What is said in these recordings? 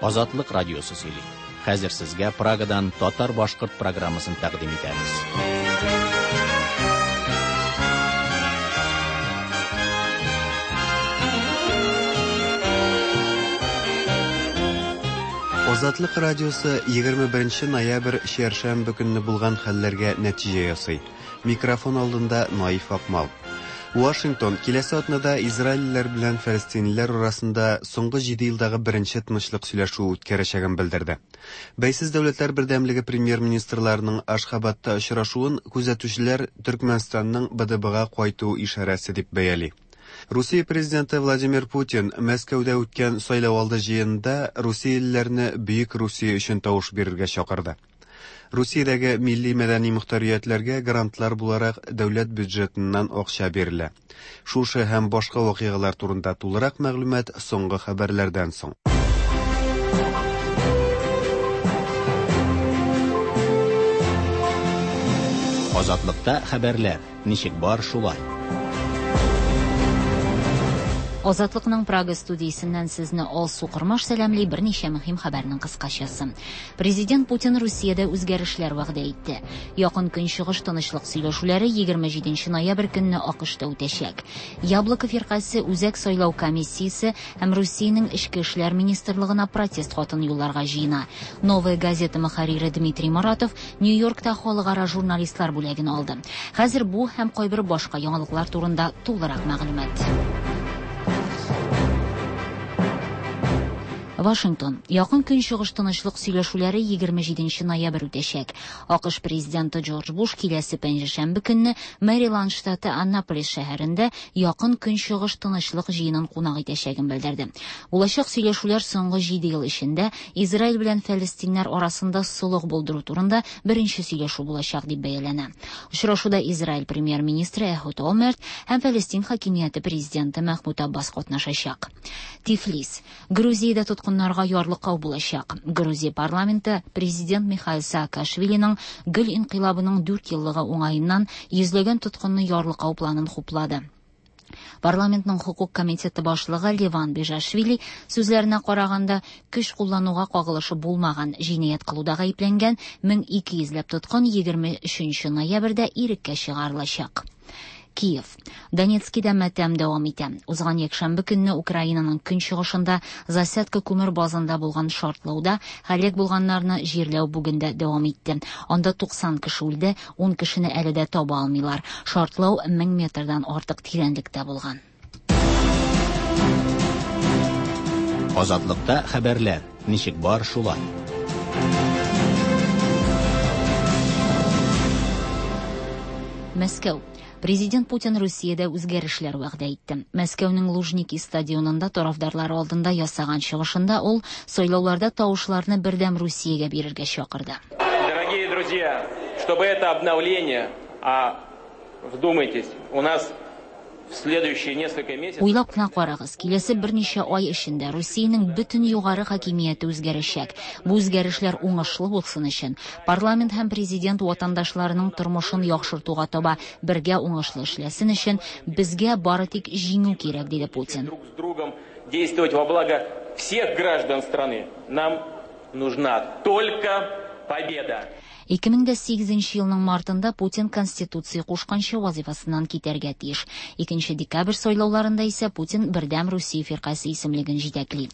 Азатлык радиосы сөйли. Хәзер сезгә Прагадан татар-башкорт программасын тәкъдим итәбез. Азатлык радиосы 21 ноябрь чәршәмбе көнне булган хәлләргә нәтиҗә ясый. Микрофон алдында Наиф Акмал. Вашингтон киләсе атнада израильлеләр белән фәлестинлеләр арасында соңгы җиде елдагы беренче тынычлык сөйләшүе үткәрәчәген белдерде. Бәйсез Дәүләтләр Бердәмлеге премьер-министрларының Ашхабадта очрашуын күзәтүчеләр Төркмәнстанның БДБга кайту ишарәсе дип бәяли. Русия президенты Владимир Путин Мәскәүдә үткән сайлауалды җыенында русиялеләрне Бөек Русия өчен тавыш бирергә чакырды. Русиядәге милли-мәдәни мохтариятләргә грантлар буларак дәүләт бюджетыннан акча бирелә. Шушы һәм башка вакыйгалар турында тулырак мәгълүмат соңгы хәбәрләрдән соң. Азатлыкта хәбәрләр, ничек бар шулай. Азатлыкның Прага студиясеннән сезне Алсу Кормаш сәламли, берничә мөһим хәбәрнең кыскачасы. Президент Путин Русиядә үзгәрешләр вәгъдә итте. Якын Көнчыгыш тынычлык сөйләшүләре 27 ноябрь көнне АКШта үтәчәк. Яблоко фиркасе Үзәк сайлау комиссиясе һәм Русиянең Эчке эшләр министрлыгына протест хатын юлларга җыена. Новая газета мөхәррире Дмитрий Моратов Нью-Йоркта халыкара журналистлар бүләген алды. Хәзер бу һәм кайбер башка яңалыклар турында тулырак мәгълүмат. Вашингтон. Якын Көнчыгыш тынычлык сөйләшүләре 27 ноябрь үтәчәк. АКШ президенты Джордж Буш киләсе пәнҗешәмбе көнне Мэриланд штаты Аннаполис шәһәрендә Якын Көнчыгыш тынычлык җыенын кунак итәчәген белдерде. Булачак сөйләшүләр соңгы 7 ел эчендә Израиль белән фәлестиннәр арасында солых булдыру турында беренче сөйләшү булачак дип бәяләнә. Очрашуда Израиль премьер-министры Эхуд Олмерт һәм Фәлестин хакимияте президенты Мәхмүд Аббас катнашачак. Тифлис. Грузиядә тоткыннарга ярлыкау булачак. Грузия парламенты президент Михаил Саакашвилиның Гөл инкыйлабының 4 еллыгы уңаеннан йөзләгән тоткынны ярлыкау планын хуплады. Парламентның хокук комитеты башлыгы Леван Бежашвили сүзләренә караганда, көч куллануга кагылышы булмаган җинаять кылуда гаепләнгән 1200 ләп тоткын 23 ноябрьдә иреккә чыгарылачак. Киев. Донецкида матәм дәвам итә. Узган якшәмбе көнне Украинаның көнчыгышында Засядка күмер базында булган шартлауда һәлак булганнарны җирләү бүген дә дәвам итте. Анда 90 кеше үлде, 10 кешене әле дә таба алмыйлар. Шартлау 1000 метрдан артык тирәнлектә булган. Азатлыкта хәбәрләр, ничек бар шулай. Мәскәү. Президент Путин Русиядә үзгәрешләр вәгъдә итте. Мәскәүнең Лужники стадионында тарафдарлары алдында ясаган чыгышында ул сайлауларда тавышларны Бердәм Русиягә бирергә чакырды. Дорогие друзья, чтобы это обновление, а вдумайтесь, у нас в следующие несколько месяцев... Уйлап кына карагыз, киләсе берничә ай эчендә Русиянең бөтен югары хакимияте үзгәрәчәк. Бу үзгәрешләр уңышлы булсын өчен, парламент һәм президент ватандашларының тормышын яхшыртуга таба бергә уңышлы эшләсен өчен, безгә бары тик җиңү кирәк, диде Путин. Друг с другом действовать во благо всех граждан страны. Нам нужна только победа. 2008 елның мартында Путин Конституция кушканча вазифасыннан китәргә тиеш. 2 декабрь сайлауларында исә Путин Бердәм Русия фиркасе исемлеген җитәкли.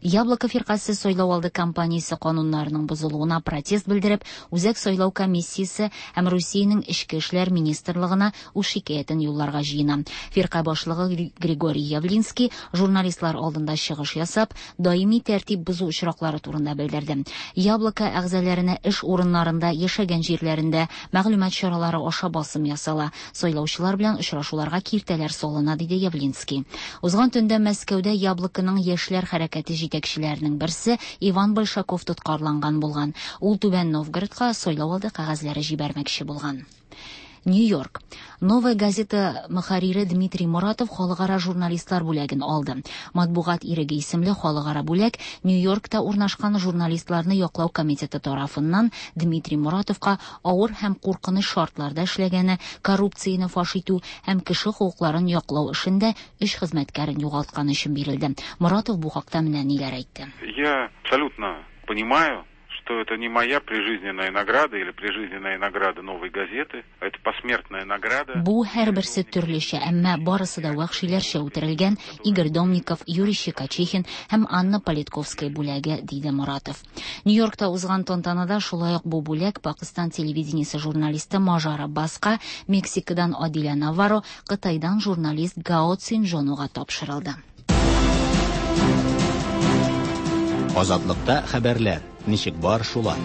Яблоко фиркасе сайлау алды кампаниясе кануннарының бозылуына протест белдереп, Үзәк сайлау комиссиясе һәм Русиянең Эчке эшләр министрлыгына үз шикаятен юлларга җыена. Фирка башлыгы Григорий Явлинский журналистлар алдында чыгыш ясап, даими тәртип бозу очраклары турында белдерде. Яблоко әгъзаларына эш урыннарында, яшәгән җирләрендә мәгълүмат чаралары аша басым ясала. Сайлаучылар белән очрашуларга киртәләр салына, диде Явлинский. Узган төндә Мәскәүдә Яблоконың яшьләр хәрәкәте җитәкчеләренең берсе Иван Большаков тоткарланган булган. Ул Түбән Новгородка сайлау алды кәгазьләре җибәрмәкче булган. Нью-Йорк. Новая газета мөхәррире Дмитрий Муратов халыкара журналистлар бүләген алды. Матбугат иреге исемле халыкара бүләк Нью-Йоркта урнашкан журналистларны яклау комитеты тарафыннан Дмитрий Муратовка авыр һәм куркыныч шартларда эшләгәне, коррупцияне фаш итү һәм кеше хокукларын яклау эшендә өч хезмәткәрен югалтканы өчен бирелде. Муратов бу хакта менә ниләр әйтте. Я абсолютно понимаю, что это не моя прижизненная награда или прижизненная награда «Новой газеты», а это посмертная награда. Бу һәрберсе төрлечә, әмма барысы да вәхшиләрчә үтерелгән Игорь Домников, Юрий Щекочихин һәм Анна Политковская бүләге, диде Муратов. Нью-Йоркта узган тантанада шулай ук бу бүләк Пакыстан телевидениесе журналисты Мажар Аббаска, Мексикадан Адиля Наварро, Кытайдан журналист Гао Цинжонуга тапшырылды. Азатлыкта хәбәрләр ничек бар шулай.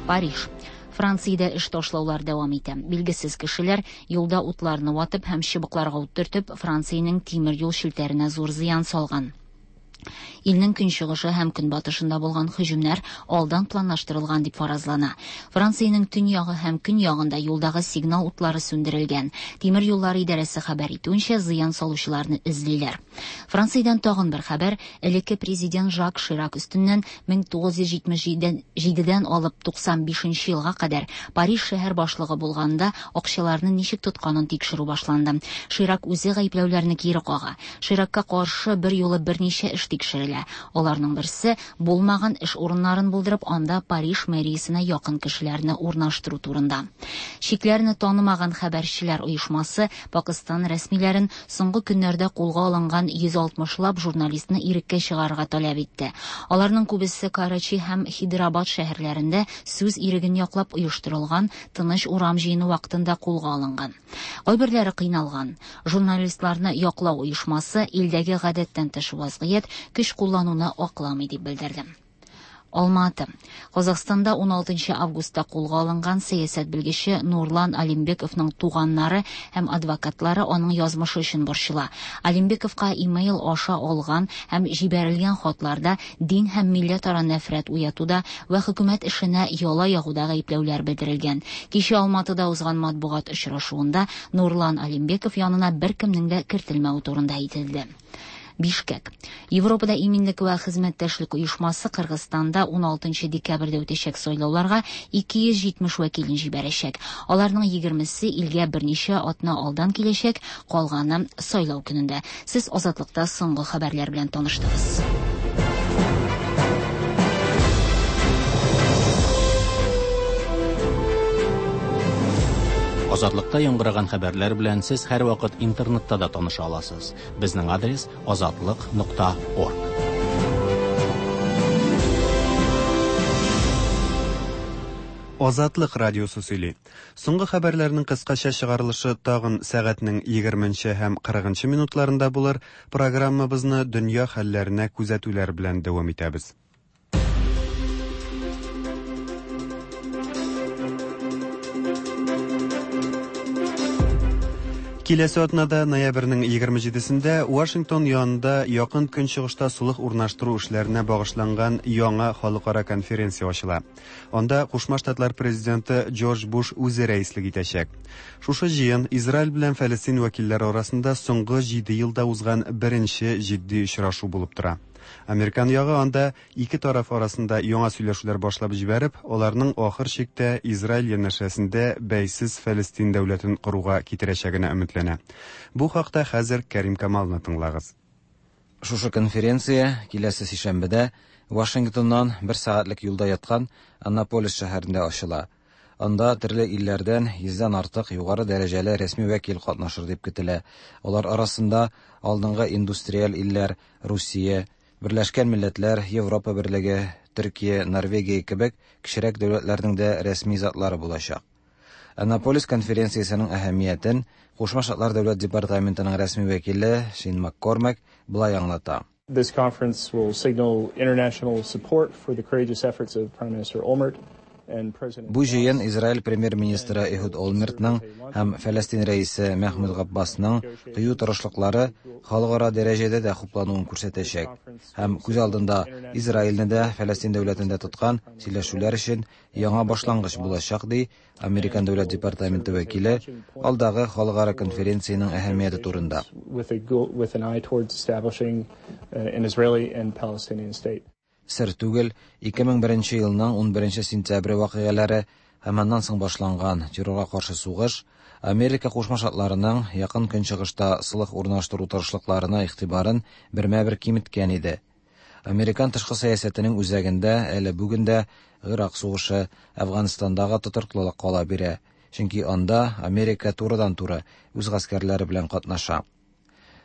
Париж. Франциядә эш ташлаулар дәвам итә. Билгесез кешеләр юлда утларны ватып һәм чыбыкларга ут төртеп, Франциянең тимер юл челтәренә зур зыян салган. Илнең көнчыгышы һәм көнбатышында булган һөҗүмнәр алдан планлаштырылган дип фаразлана. Франциянең төньягы һәм көньягында юлдагы сигнал утлары сүндерелгән. Тимер юллары идарәсе хәбәр итүенчә, зыян салучыларны эзлиләр. Франциядән тагын бер хәбәр: элекке президент Жак Ширак өстеннән 1977-дән алып 95 елга кадәр Париж шәһәр башлыгы булганда акчаларны ничек тотканын тикшерү башланды. Ширак үзе гаепләүләрне кире кага. Ширакка каршы бер юлы берничә эш тикшерелә. Аларның берсе булмаган эш урыннарын булдырып, анда Париж мэриясенә якын кешеләрне урнаштыру турында. Чикләрне танымаган хәбәрчеләр оешмасы Пакыстан рәсмиләрен соңгы көннәрдә кулга алынган 160лап журналистны иреккә чыгарырга таләп итте. Аларның күбесе Карачи һәм Хидрабад шәһәрләрендә сүз иреген яклап оештырылган тыныч урам җыены вакытында кулга алынган. Кайберләре кыйналган. Журналистларны яклау оешмасы илдәге гадәттән тыш вазгыять көч куллануны акламый дип белдерде. Алматы. Казахстанда 16 августта кулга алынган сәясәт белгече Нурлан Алимбековның туганнары һәм адвокатлары аның язмышы өчен борчыла. Алимбековка имейл аша алган һәм җибәрелгән хатларда дин һәм милләтара нәфрәт уятуда ва хөкүмәт эшенә яла ягуда гаепләүләр белдерелгән. Кичә Алматыда узган матбугат очрашуында Нурлан Алимбеков янына беркемнең дә кертелмәве турында әйтелде. Бишкек. Европада иминлек вә хезмәттәшлек оешмасы Кыргызстанда 16 декабрьдә үтәчәк сайлауларга 270 вәкилен җибәрәчәк. Аларның 20-се илгә берничә атна алдан киләчәк, калганы сайлау көнендә. Сез Азатлыкта соңгы хәбәрләр белән таныштыгыз. Азатлыкта яңгыраган хәбәрләр белән сез һәрвакыт интернетта да таныша аласыз. Безнең адрес azatliq.org. Азатлык радиосы сөйли. Соңгы хәбәрләрнең кыскача чыгарылышы тагын сәгатьнең 20 һәм 40 минутларында булыр. Программабызны дөнья хәлләренә күзәтүләр белән дәвам итәбез. Киләсе атнада ноябрьнең 27-сендә Вашингтон янында Якын Көнчыгышта сулык урнаштыру эшләренә багышланган яңа халыкара конференция ачыла. Анда Кушма Штатлар президенты Джордж Буш үзе рәислек итәчәк. Шушы җыен Израиль белән Фәлестин вәкилләре арасында соңгы 7 елда узган беренче җитди очрашу булып тора. Американ ягы анда ике тараф арасында яңа сөйләшүләр башлап җибәреп, аларның ахыр чиктә Израиль янәшәсендә бәйсез Фәлестин дәүләтен коруга китерәчәгенә өметләнә. Бу хакта хәзер Кәрим Камалны тыңлагыз. Шушы конференция киләсе сишәмбедә Вашингтоннан бер сәгатьлек юлда яткан Аннаполис шәһәрендә ачыла. Анда төрле илләрдән 100дән артык югары дәрәҗәле рәсми вәкил катнашыр дип көтелә. Алар арасында алдынгы индустриаль илләр Русия, Берләшкән Милләтләр, Европа Берлеге, Төркия, Норвегия кебек кечерәк дәүләтләрнең дә рәсми затлары булачак. Аннаполис конференциясенең әһәмиятен Кушма Штатлар Дәүләт департаментының рәсми вәкиле Шин Маккормак былай аңлата. This conference will signal international support for the courageous efforts of Prime Minister Olmert. Бу җыен Израиль премьер-министры Эхуд Олмертның һәм Фәләстин рәисе Мәхмүд Габбасның кыю тырышлыклары халыкара дәрәҗәдә дә хуплануын күрсәтәчәк һәм күз алдында Израильне дә, Фәләстин дәүләтен дә тоткан сөйләшүләр өчен яңа башлангыч булачак, ди Американ дәүләт департаменты вәкиле алдагы халыкара конференциянең әһәмияте турында. Сер түгел, 2001 елның 11 сентябре вакыйгалары һәм аннан соң башланган террорга каршы сугыш Америка Кушма Штатларының Якын Көнчыгышта солых урнаштыру тырышлыкларына игътибарын бермә-бер киметкән иде. Американ тышкы сәясәтенең үзәгендә әле бүген дә Гыйрак сугышы, Әфганстандагы тотрыклылык кала бирә, чөнки анда Америка турыдан-туры үз гаскәрләре белән катнаша.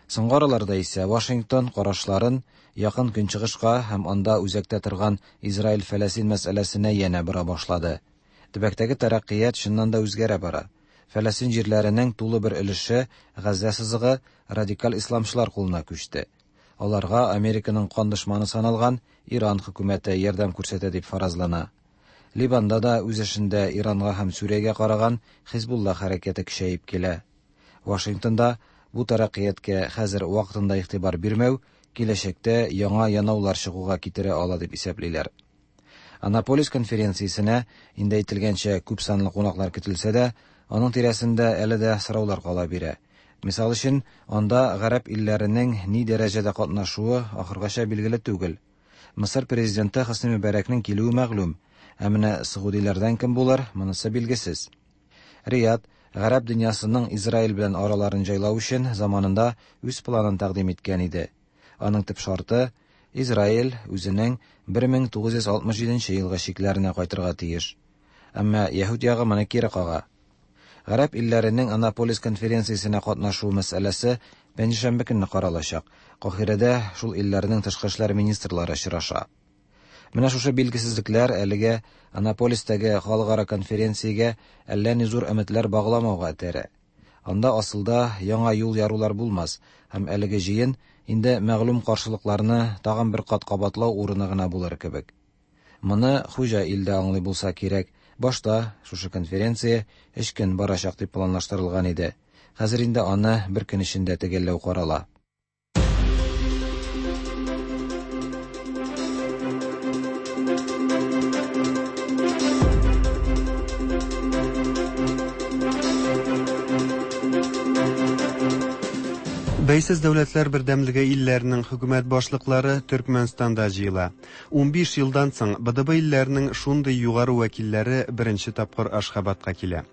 Соңгы араларда исә Вашингтон карашларын Якын Көнчыгышка һәм анда үзәктә торган Израиль-Фәләсин мәсьәләсенә янә бора башлады. Төбәктәге тәрәккыять чыннан да үзгәрә бара. Фәләсин җирләренең тулы бер өлеше, Газзә сызыгы, радикаль исламчылар кулына күчте. Аларга Американың кан дошманы саналган Иран хөкүмәте ярдәм күрсәтә дип фаразлана. Ливанда да үз эшендә Иранга һәм Сүриягә караган Хизбулла хәрәкәте көчәеп килә. Вашингтонда бу тәрәккыятькә хәзер вакытында игътибар бирмәү киләчәктә яңа янаулар чыгуга китерә ала дип исәплиләр. Аннаполис конференциясенә, инде әйтелгәнчә, күпсанлы кунаклар көтелсә дә, аның тирәсендә әле дә сораулар кала бирә. Мисал өчен, анда гарәп илләренең ни дәрәҗәдә катнашуы ахыргача билгеле түгел. Мысыр президенты Хөсни Мөбарәкнең килүе мәгълүм, ә менә согудиләрдән кем булыр, монысы билгесез. Рияд, гарәп дөньясының Израиль белән араларын җайлау өчен заманында үз планын тәкъдим иткән иде. Аның төп шарты, Израиль үзенең 1967 елгы чикләренә кайтырга тиеш. Әмма яһүд ягы моны кире кага. Гарәп илләренең Аннаполис конференциясенә катнашу мәсьәләсе пәнҗешәмбе көнне каралачак. Каһирәдә шул илләрнең тышкы эшләр министрлары очраша. Менә шушы билгесезлекләр әлегә Аннаполистәге халыкара конференциягә әллә ни зур өметләр багламауга этәрә. Анда асылда яңа юл ярулар булмас һәм әлеге җыен инде мәгълүм каршылыкларны тагын бер кат кабатлау урыны гына булыр кебек. Моны хуҗа ил дә аңлый булса кирәк, башта шушы конференция өч көн барачак дип планлаштырылган иде. Хәзер инде аны бер көн эчендә төгәлләү карала. Бәйсез дәүләтләр бердәмлеге илләренең хөкүмәт башлыклары Төркмәнстанда җыела. 15 елдан соң БДБ илләренең шундый югары вәкилләре беренче тапкыр Ашхабадка килә.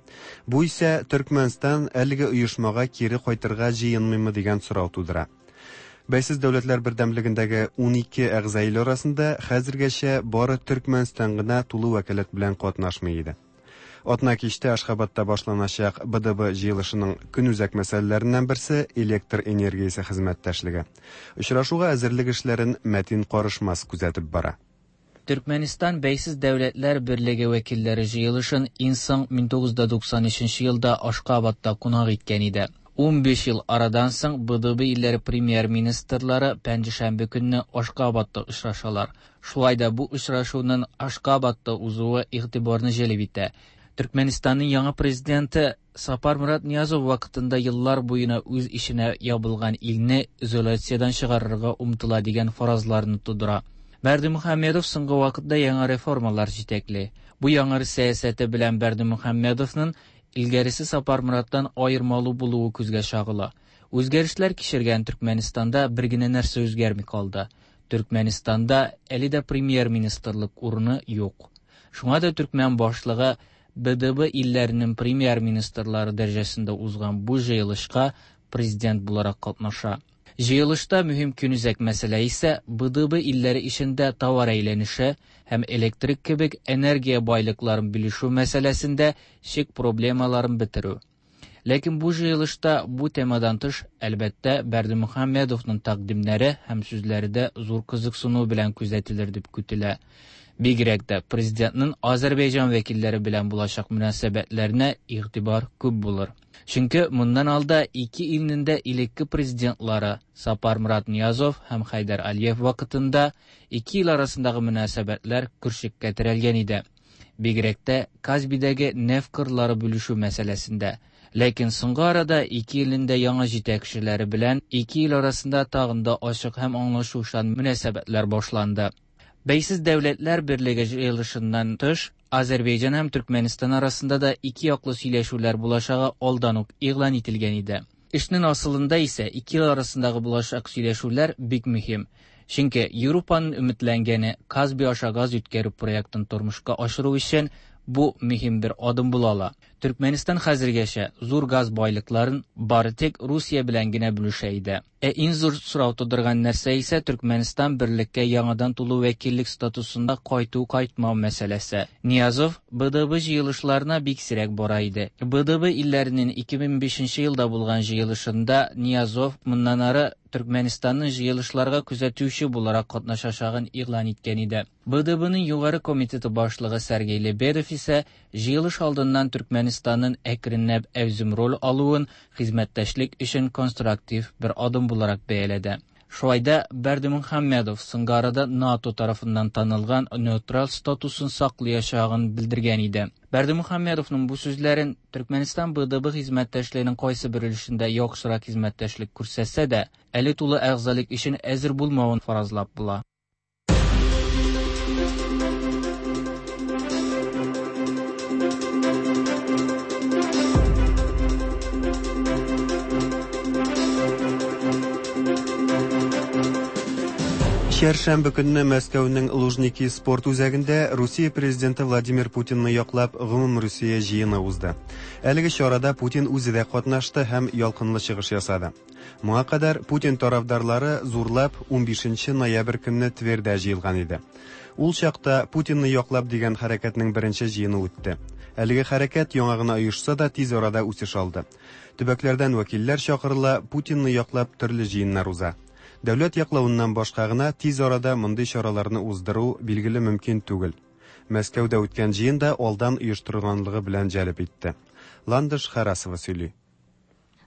Бу исә Төркмәнстан әлеге оешмага кире кайтырга җыенмыймы дигән сорау тудыра. Бәйсез дәүләтләр бердәмлегендәге 12 әгъза ил арасында хәзергәчә бары Төркмәнстан гына тулы вәкаләт белән катнашмый иде. Атна кичтә Ашхабадта башланачак БДБ җыелышының көнүзәк мәсьәләләреннән берсе электр энергиясе хезмәттәшлеге. Очрашуга әзерлек эшләрен Мәтин Карышмас күзәтеп бара. Төркмәнстан Бәйсез дәүләтләр берлеге вәкилләре җыелышын иң соң 1993 елда Ашхабадта кунак иткән иде. 15 ел арадан соң БДБ илләре премьер-министрлары пәнҗешәмбе көнне Ашхабадта очрашалар. Шулай да бу очрашуның Ашхабадта узуы игътибарны җәлеп итә. Төркмәнстанның яңа президенты Сапармурат Ниязов вакытында еллар буена үз эченә ябылган илне изоляциядән чыгарырга омтыла дигән фаразларны тудыра. Бердымухамедов соңгы вакытта яңа реформалар җитәкли. Бу яңа сәясәте белән Бердымухамедовның илгәресе Сапармураттан аермалы булуы күзгә чагыла. Үзгәрешләр кичергән Төркмәнстанда бер генә нәрсә үзгәрми калды. Төркмәнстанда әле дә премьер-министрлык урыны юк. Шуңа да төркмән башлыгы БДБ илләренең премьер-министрлары дәрәҗәсендә узган бу җыелышка президент буларак катнаша. Җыелышта мөһим көнүзәк мәсьәлә исә БДБ илләре эчендә товар әйләнеше һәм электрик кебек энергия байлыкларын бүлешү мәсьәләсендә чик проблемаларын бетерү. Ләкин бу җыелышта бу темадан тыш, әлбәттә, Бердымухамедовның тәкъдимнәре һәм сүзләре дә зур кызыксыну белән күзәтелер дип көтелә. Бигрәк тә президентның Азәрбайҗан вәкилләре белән булачак мөнәсәбәтләренә игътибар күп булыр. Чөнки моннан алда ике илнең дә элекке президентлары Сапармурат Ниязов һәм Хәйдәр Алиев вакытында ике ил арасындагы мөнәсәбәтләр көршеккә терәлгән иде. Бигрәк тә Казбидәге нефть кырлары бүлешү мәсьәләсендә. Ләкин соңгы арада ике илнең дә яңа җитәкчеләре белән ике ил арасында тагын да ачык һәм аңлашучан мөнәсәбәтләр башланды. Бәйсез Дәүләтләр Берлеге җыелышыннан тыш, Азәрбайҗан һәм Төркмәнстан арасында да ике яклы сөйләшүләр булачагы алдан ук игълан ителгән иде. Эшнең асылында исә ике ил арасындагы булачак сөйләшүләр бик мөһим. Чөнки Европаның өметләнгәне Каспий аша газ үткәрү проектын тормышка ашыру өчен бу мөһим бер адым була ала. Төркмәнстан хәзергәчә зур газ байлыкларын бары тик Русия белән генә бүлешә иде. Ә иң зур сорау тудырган нәрсә исә Төркмәнстан берлеккә яңадан тулы вәкиллек статусында кайту-кайтмау мәсьәләсе. Ниязов БДБ җыелышларына бик сирәк бара иде. БДБ илләренең 2005 елда булган җыелышында Ниязов моннан ары Төркмәнстанның җыелышларга күзәтүче буларак катнашачагын игълан иткән иде. БДБның югары комитеты башлыгы Сергей Лебедев исә җыелыш алдыннан Төркмәнстанның әкренләп әүзем роль алуын хезмәттәшлек өчен конструктив бер адым буларак бәяләде. Шулай да Бердымөхәммәдов соңгы арада НАТО тарафыннан танылган нейтраль статусын саклаячагын белдергән иде. Бердымөхәммәдовның бу сүзләрен Төркмәнстан БДБ хезмәттәшлегенең кайсы бер өлешендә яхшырак хезмәттәшлек күрсәтсә дә, әле тулы әгъзалык өчен әзер булмавын фаразлап була. Чәршәмбе көнне Мәскәүнең Лужники спорт үзәгендә Русия президенты Владимир Путинны яклап Гомумрусия җыены узды. Әлеге чарада Путин үзе дә катнашты һәм ялкынлы чыгыш ясады. Моңа кадәр Путин тарафдарлары зурлап 15 ноябрь көнне Твердә җыелган иде. Ул чакта Путинны яклап дигән хәрәкәтнең беренче җыены үтте. Әлеге хәрәкәт яңа гына оешса да тиз арада үсеш алды. Төбәкләрдән вәкилләр чакырыла, Путинны яклап төрле җыеннар уза. Дәүләт яклавыннан башка гына тиз арада мондый чараларны уздыру билгеле мөмкин түгел. Мәскәүдә үткән җыен да алдан оештырылганлыгы белән җәлеп итте. Ландыш Харасова сөйли.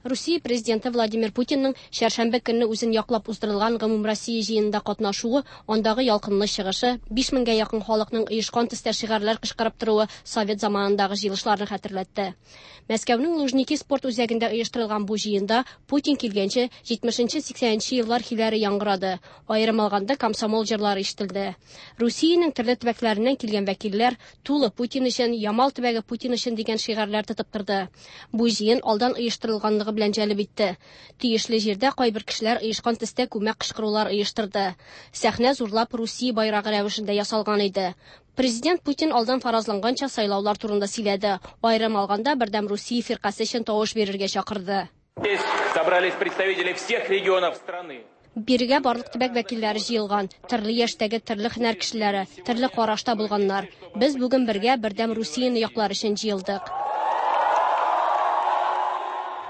Русия президенты Владимир Путинның чәршәмбе көнне үзен яклап уздырылган Гомумроссия җыенында катнашуы, андагы ялкынлы чыгышы, 5000гә якын халыкның оешкан төстә шигарьләр кычкырып торуы совет заманындагы җыелышларны хәтерләтте. Мәскәүнең Лужники спорт үзәгендә оештырылган бу җыенда Путин килгәнче 70-80 еллар көйләре яңгырады. Аерым алганда комсомол җырлары ишетелде. Русиянең төрле төбәкләреннән килгән вәкилләр Тулы Путин өчен, Ямал төбәге Путин өчен дигән шигарьләр тотып торды. Бу җыен алдан оештырылганлыгы белән җәлеп итте. Тиешле җирдә кайбер кешеләр оешкан төстә күмәк кычкырулар оештырды. Сәхнә зурлап Русия байрагы рәвешендә ясалган иде. Президент Путин алдан фаразланганча сайлаулар турында сөйләде. Аерым алганда Бердәм Русия фиркасе өчен тавыш бирергә чакырды. Здесь собрались представители всех регионов страны. Бирегә барлык төбәк вәкилләре җыелган, төрле яшьтәге, төрле һөнәр кешеләре, төрле карашта булганнар. Без бүген бергә Бердәм Русияне яклар өчен җыелдык.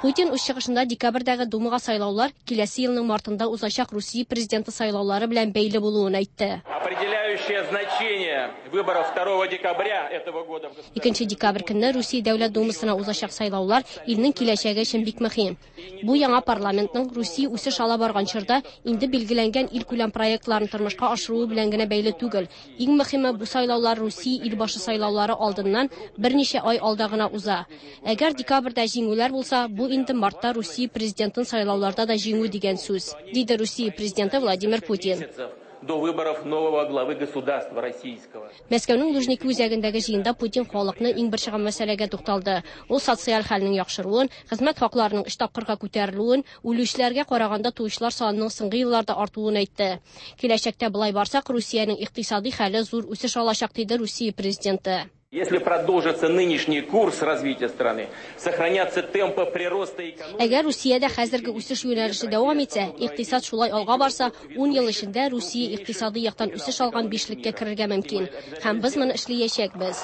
Путин үз чыгышында декабрьдәге Думага сайлаулар киләсе елның мартында узачак Русия президенты сайлаулары белән бәйле булуын әйтте. Определяющее значение выборов 2 декабря этого года. 2 декабрь көнне Русия Дәүләт Думасына узачак сайлаулар илнең киләчәге өчен бик мөһим. Бу яңа парламентның Русия үсеш ала барган чорда инде билгеләнгән илкүләм проектларын тормышка ашыруы белән генә бәйле түгел. Иң мөһиме бу сайлаулар Русия илбашы сайлаулары алдыннан берничә ай алда гына уза. Әгәр декабрьдә җиңүләр булса, бу инде мартта Русия президентын сайлауларда да җиңү дигән сүз, диде Русия президенты Владимир Путин. До выборов нового главы государства российского. Мәскәүнең Лужники үзәгендәге җыенда Путин халыкны иң борчыган мәсьәләгә тукталды. Ул социаль хәлнең яхшыруын, хезмәт хакларының 3 тапкырга күтәрелүен, үлүчеләргә караганда туучылар санының соңгы елларда артуын әйтте. Киләчәктә болай барсак, Русиянең икътисади хәле зур үсеш алачак, диде Русия президенты. Если продолжится нынешний курс развития страны, сохранятся темпы прироста экономики. Әгәр Русиядә хәзерге үсеш юнәлеше дәвам итсә, икътисад шулай алга барса, 10 ел эчендә Русия икътисади яктан үсеш алган бишлеккә керергә мөмкин. Һәм без моны эшләячәкбез.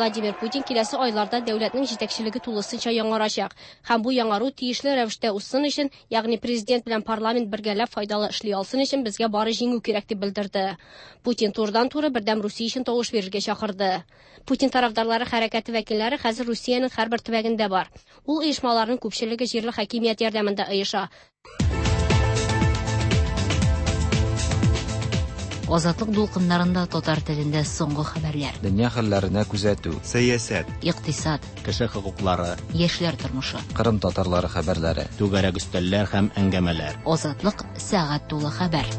Владимир Путин киләсе айларда дәүләтнең җитәкчелеге тулысынча яңарачак. Һәм бу яңару тиешле рәвештә узсын өчен, ягъни президент белән парламент бергәләп файдалы эшли алсын өчен безгә бары җиңү кирәк дип белдерде. Путин турыдан-туры Бердәм Русия өчен тавыш бирергә чакырды. Путин тарафдарлары хәрәкәте вәкилләре хәзер Русиянең һәрбер төбәгендә бар. Ул оешмаларның күпчелеге җирле хакимият ярдәмендә оеша. Азатлык дулкыннарында татар телендә соңгы хәбәрләр. Дөнья хәлләренә күзәтү. Сәясәт. Икътисад. Кеше хокуклары. Яшьләр тормышы. Кырым татарлары хәбәрләре. Түгәрәк өстәлләр һәм әңгәмәләр. Азатлык сәгать тулы хәбәр.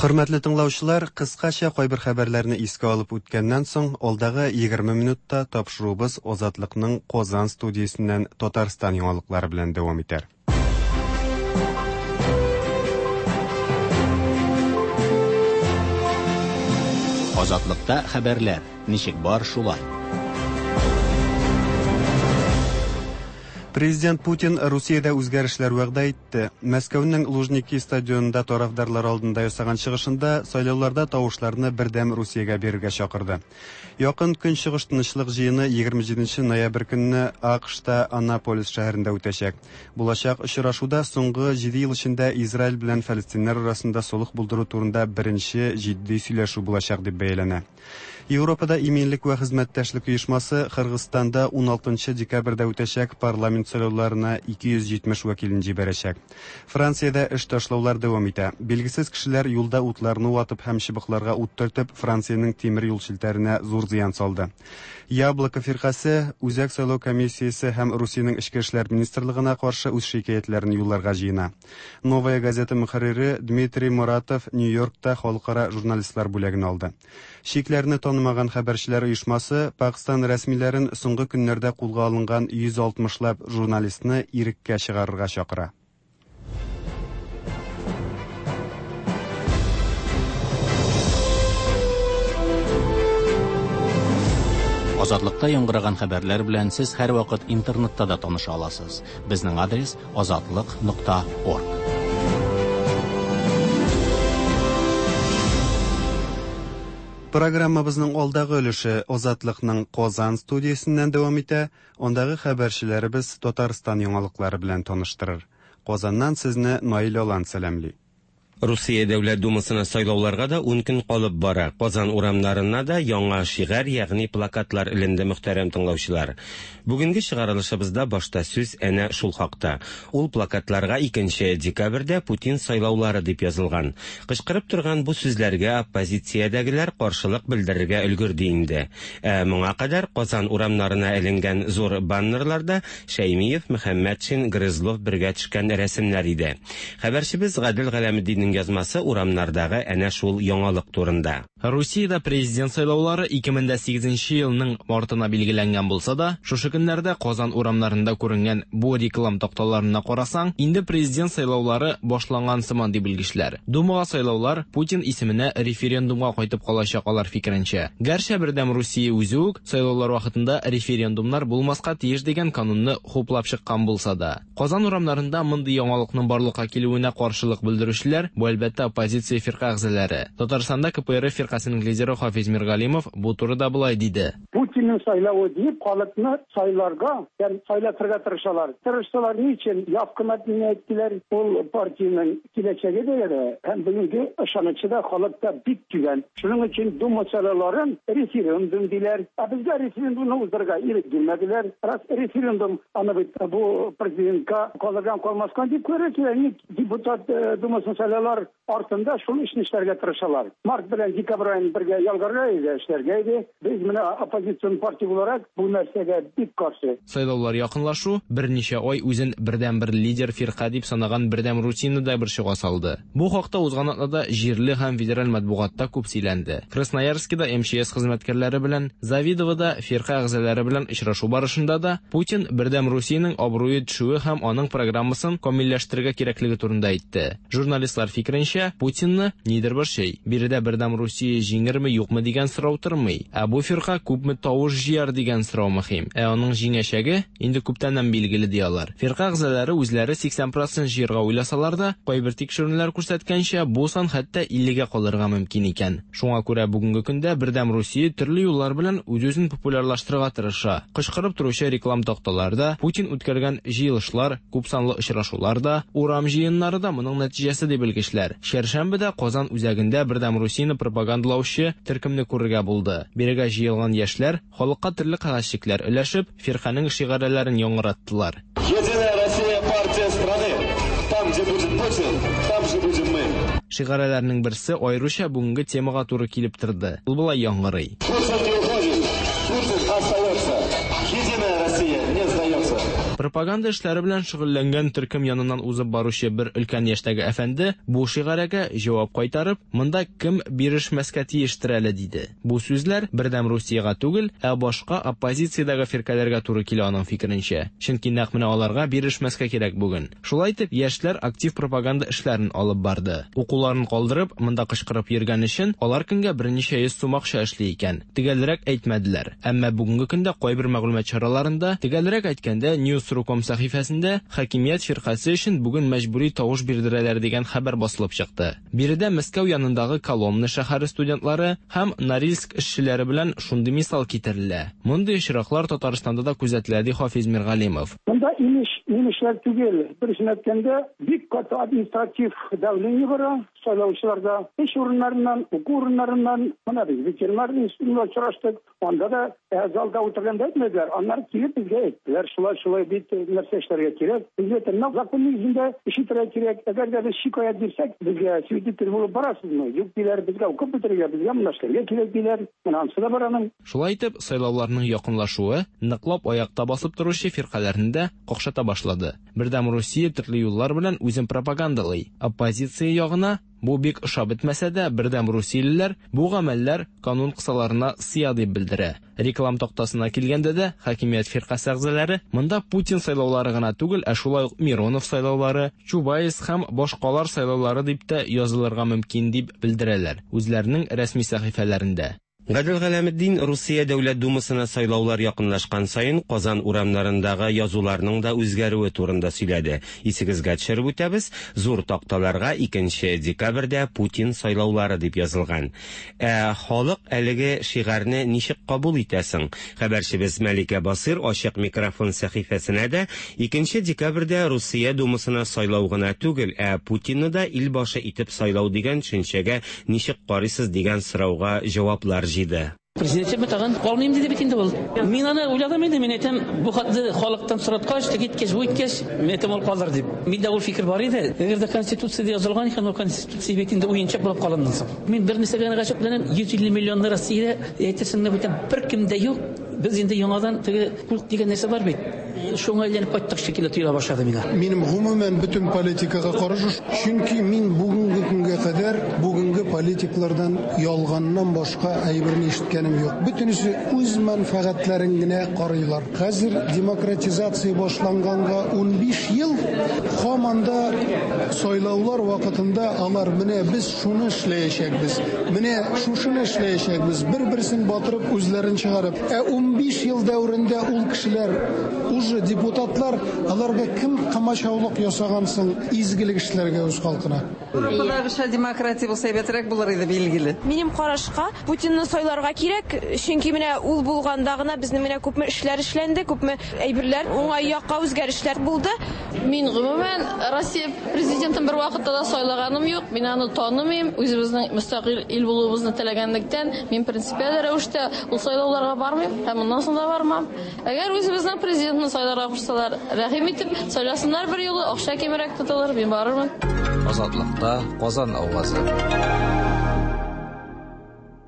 Хөрмәтле тыңлаучылар, кыскача кайбер хәбәрләрне искә алып үткәннән соң, алдагы 20 минутта тапшыруыбыз Азатлыкның Казан студиясеннән Татарстан яңалыклары белән дәвам итәр. Азатлыкта хәбәрләр ничек бар шулай. Президент Путин Русиядә үзгәрешләр вәгъдә итте. Мәскәүнең Лужники стадионында тарафдарлар алдында ясаган чыгышында сайлауларда тавышларны бердәм Русиягә бирергә чакырды. Якын Көнчыгыш тынычлык җыены 27 ноябрь көнне АКШта Аннаполис шәһәрендә үтәчәк. Булачак очрашуда соңгы 7 ел эчендә Израиль белән фәлестиннәр арасында солых булдыру турында беренче җитди сөйләшү булачак дип бәяләнә. Европада иминлек вә хезмәттәшлек оешмасы Кыргызстанда 16 декабрьдә үтәчәк парламент сайлауларына 270 вәкилен җибәрәчәк. Франциядә эш ташлаулар дәвам итә. Билгесез кешеләр юлда утларны ватып һәм чыбыкларга ут төртеп, Франциянең тимер юл челтәренә зур зыян салды. Яблоко фиркасе Үзәк сайлау комиссиясе һәм Русиянең эчке эшләр министрлыгына каршы үз шикаятьләрен юлларга җыена. Новая газета мөхәррире Дмитрий Муратов Нью-Йоркта халыкара журналистлар бүләген алды. Чикләрне танымаган хәбәрчеләр оешмасы Пакстан рәсмиләрен соңгы көннәрдә кулга алынган 160лап журналистны иреккә чыгарырга чакыра. Азатлыкта яңгыраган хәбәрләр белән сез һәрвакыт интернетта да таныша аласыз. Безнең адрес azatliq.org. Программабызның алдагы өлеше Азатлыкның Казан студиясеннән дәвам итә. Андагы хәбәрчеләребез Татарстан яңалыклары белән таныштырыр. Казаннан сезне Наил Алан сәламли. Русия Дәүләт Думасына сайлауларга да 10 көн калып бара. Казан урамнарына да яңа шигарь, ягъни плакатлар эленде, мөхтәрәм тыңлаучылар. Бүгенге чыгарылышыбызда башта сүз әнә шул хакта. Ул плакатларга 2 декабрьдә Путин сайлаулары дип язылган. Кычкырып торган бу сүзләргә оппозициядәгеләр каршылык белдерергә өлгерде инде. Ә моңа кадәр Казан урамнарына эленгән зур баннерларда Шәймиев, Мөхәммәтшин, Грызлов бергә төшкән рәсемнәр иде. Хәбәрчебез Гадел Галәметдиннең язмасы урамнардагы әнә шул яңалык турында. Русиядә президент сайлаулары 2008 елның мартына билгеләнгән булса да, шушы көннәрдә Казан урамнарында күренгән бу реклам такталарына карасаң, инде президент сайлаулары башланган сыман ди белгечләр. Думага сайлаулар Путин исеменә референдумга кайтып калачак алар фикеренчә. Гәрчә Бердәм Русия үзе үк сайлаулар вакытында референдумнар булмаска тиеш дигән канунны хуплап чыккан булса да. Казан урамнарында мондый яңалыкның барлыкка килүенә каршылык белдерүчеләр бу әлбәттә оппозиция фирка әгъзалары. Татарстанда КПРФ фиркасының лидеры Хафиз Миргалимов бу турыда болай диде. Путинның сайлавы дип халыкны сайларга, ягъни сайлатырга тырышалар. Тырышсалар ни өчен? Явканы әйттеләр, ул партиянең киләчәге дә әле, һәм бүгенге ышанычы да халыкта бик түбән. Шуның өчен Дума сайлауларын референдум диләр. Ә безгә референдумны уздырырга ирек бирмәделәр. Раз референдум аны бит бу президентка калырдан калмаска дип күрә кирәк. Депутат Думасын сайлаулар артында шул эшне эшләргә тырышалар. Март белән декабрь аен бергә ялгарга иде, эшләргә иде. Без менә оппозицион партия буларак бу нәрсәгә бик каршы. Сайлаулар якынлашу берничә ай үзен бердән-бер лидер фирка дип санаган Бердәм Русияне дә бер чыга салды. Бу хакта узган атнада җирле һәм федераль матбугатта күп сөйләнде. Красноярскида МЧС хезмәткәрләре белән, Завидовода фирка әгъзалары белән очрашу барышында да Путин Бердәм Русиянең абруе төшүе һәм аның программасын камилләштерергә кирәклеге турында әйтте. Журналистлар фикеренчә, Путинны нидер борчый. Биредә Бердәм Русия җиңерме, юкмы дигән сорау тормый. Ә бу фирка күпме тавыш тавыш җыяр дигән сорау мөһим. Ә аның җиңәчәге инде күптәннән билгеле ди алар. Фирка әгъзалары үзләре 80 процент җыярга уйласалар да, кайбер тикшеренүләр күрсәткәнчә, бу сан хәтта 50гә калырга мөмкин икән. Шуңа күрә бүгенге көндә Бердәм Русия төрле юллар белән үз-үзен популярлаштырырга тырыша. Кычкырып торучы реклам такталар да, Путин үткәргән җыелышлар, күпсанлы очрашулар да, урам җыеннары да моның нәтиҗәсе ди белгечләр. Чәршәмбедә Казан үзәгендә Бердәм Русияне пропагандалаучы төркемне күрергә булды. Бирегә җыелган яшьләр, халыкка төрле кәгазьчекләр өләшеп, фирканең шигарәләрен яңгыраттылар. Единая Россия партия страны. Там, где будет Путин, там же будем мы. Шигарәләрнең берсе аеруча бүгенге темага туры килеп торды. Ул болай яңгырый. Путин не уходит, Путин остается. Единая Россия не сдается. Пропаганда эшләре белән шөгыльләнгән төркем яныннан узып баручы бер өлкән яшьтәге әфәнде бу шигарәгә җавап кайтарып, монда кем бирешмәскә тиештер әле диде. Бу сүзләр Бердәм Русиягә түгел, ә башка оппозициядәге фиркәләргә туры килә аның фикеренчә. Чөнки нәкъ менә аларга бирешмәскә кирәк бүген. Шулай итеп, яшьләр актив пропаганда эшләрен алып барды. Укуларын калдырып, монда кычкырып йөргән өчен алар көнгә берничә йөз сум акча эшли икән. Төгәлрәк әйтмәделәр. Әмма бүгенге көндә кайбер мәгълүмат чараларында, төгәлрәк әйткәндә, News.ru.com сәхифәсендә хакимият фиркасе өчен бүген мәҗбүри тавыш бирдерәләр дигән хәбәр басылып чыкты. Биредә Мәскәү янындагы Коломна шәһәре студентлары һәм Норильск эшчеләре белән шундый мисал китерелә. Мондый очраклар Татарстанда да күзәтелә, ди Хафиз Миргалимов. Монда имеш, имешләр түгел. Дөресен әйткәндә, бик каты административ давление бара сайлаучыларда. Эш урыннарыннан, уку урыннарыннан, менә без ветеринар институтында очраштык, анда да э, залда утырганда әйтмәделәр, аннары килеп безгә әйттеләр, шулай шулай бит э, нәрсә эшләргә кирәк. Безгә менә закон нигезендә эш итәргә кирәк. Әгәр дә без шикаять бирсәк, безгә свидетель булып барасызмы? Юк диләр, безгә укып бетерергә, безгә монда эшләргә кирәк диләр. Менә анысы да бар аның. Шулай итеп, сайлауларның якынлашуы ныклап аякта басып торучы фиркаләрне дә какшата башлады. Бердәм Русия төрле юллар белән үзен пропагандалый. Оппозиция ягына бу бик ошап бетмәсә дә, Бердәм Русиялеләр бу гамәлләр канун кысаларына сыя дип белдерә. Реклам тактасына килгәндә дә, хакимият фиркасе әгъзалары монда Путин сайлаулары гына түгел, ә шулай ук Миронов сайлаулары, Чубайс һәм башкалар сайлаулары дип тә язылырга мөмкин дип белдерәләр үзләренең рәсми сәхифәләрендә. Гадел Галәметдин Русия Дәүләт Думасына сайлаулар якынлашкан саен Казан урамнарындагы язуларның да үзгәрүе турында сөйләде. Исегезгә төшереп үтәбез, зур такталарга 2 декабрьдә Путин сайлаулары дип язылган. Ә халык әлеге шигарьне ничек кабул итә соң? Хәбәрчебез Мәликә Басыр ачык микрофон сәхифәсенә дә 2 декабрьдә Русия Думасына сайлау гына түгел, ә Путинны да ил башы итеп сайлау дигән төшенчәгә ничек карыйсыз дигән сорауга җаваплар җыйды. Президент тагын калмыйм диде бит инде ул. Мин аны уйладым инде, мин әйтәм, бу хатны халыктан сораткач, теге иткәч, бу иткәч, мин әйтәм, ул калыр дип. Миндә ул фикер бар иде. Әгәр дә Конституциядә язылган икән, ул Конституция бит инде уенчык булып калыннан соң. Мин бер нәрсәгә генә гаҗәпләнәм, 150 миллионлы Россиядә әйтерсең лә бүтән беркем дә юк. Без инде яңадан теге культ дигән нәрсә бар бит. Шуңа әйләнеп кайттык шикелле тоела башлады миңа. Минем гомумән бөтен политикага каршы, чөнки мин бүгенге көнгә кадәр бүгенге политиклардан ялганнан башка әйберне ишеткәнем юк. Бөтенесе үз мәнфәгатьләрен генә карыйлар. Хәзер демократизация башланганга 15 ел, һаман да сайлаулар вакытында алар менә без шуны эшләячәкбез, менә шушыны эшләячәкбез, бер-берсен батырып үзләрен чыгарып. Ә 15 ел дәверендә ул кешеләр уже депутатлар, аларга кем комачаулык ясаган соң изгелек эшләргә үз халкына? Европадагыча демократия булса әйбәтрәк булыр иде, билгеле. Минем карашка, Путинны сайларга кирәк, чөнки менә ул булганда гына безнең менә күпме эшләр эшләнде, күпме әйберләр уңай якка үзгәрешләр булды. Мин гомумән Россия президентын бер вакытта да сайлаганым юк, мин аны танымыйм. Үзебезнең мөстәкыйль ил булуыбызны теләгәнлектән, мин принципиаль рәвештә ул сайлауларга бармыйм һәм моннан соң да бармам. Әгәр үзебезнең президентны сайларга кушсалар, рәхим итеп, сайласыннар бер юлы, акча кимрәк тотылыр, мин барырмын. Азатлыкта Казан авазы.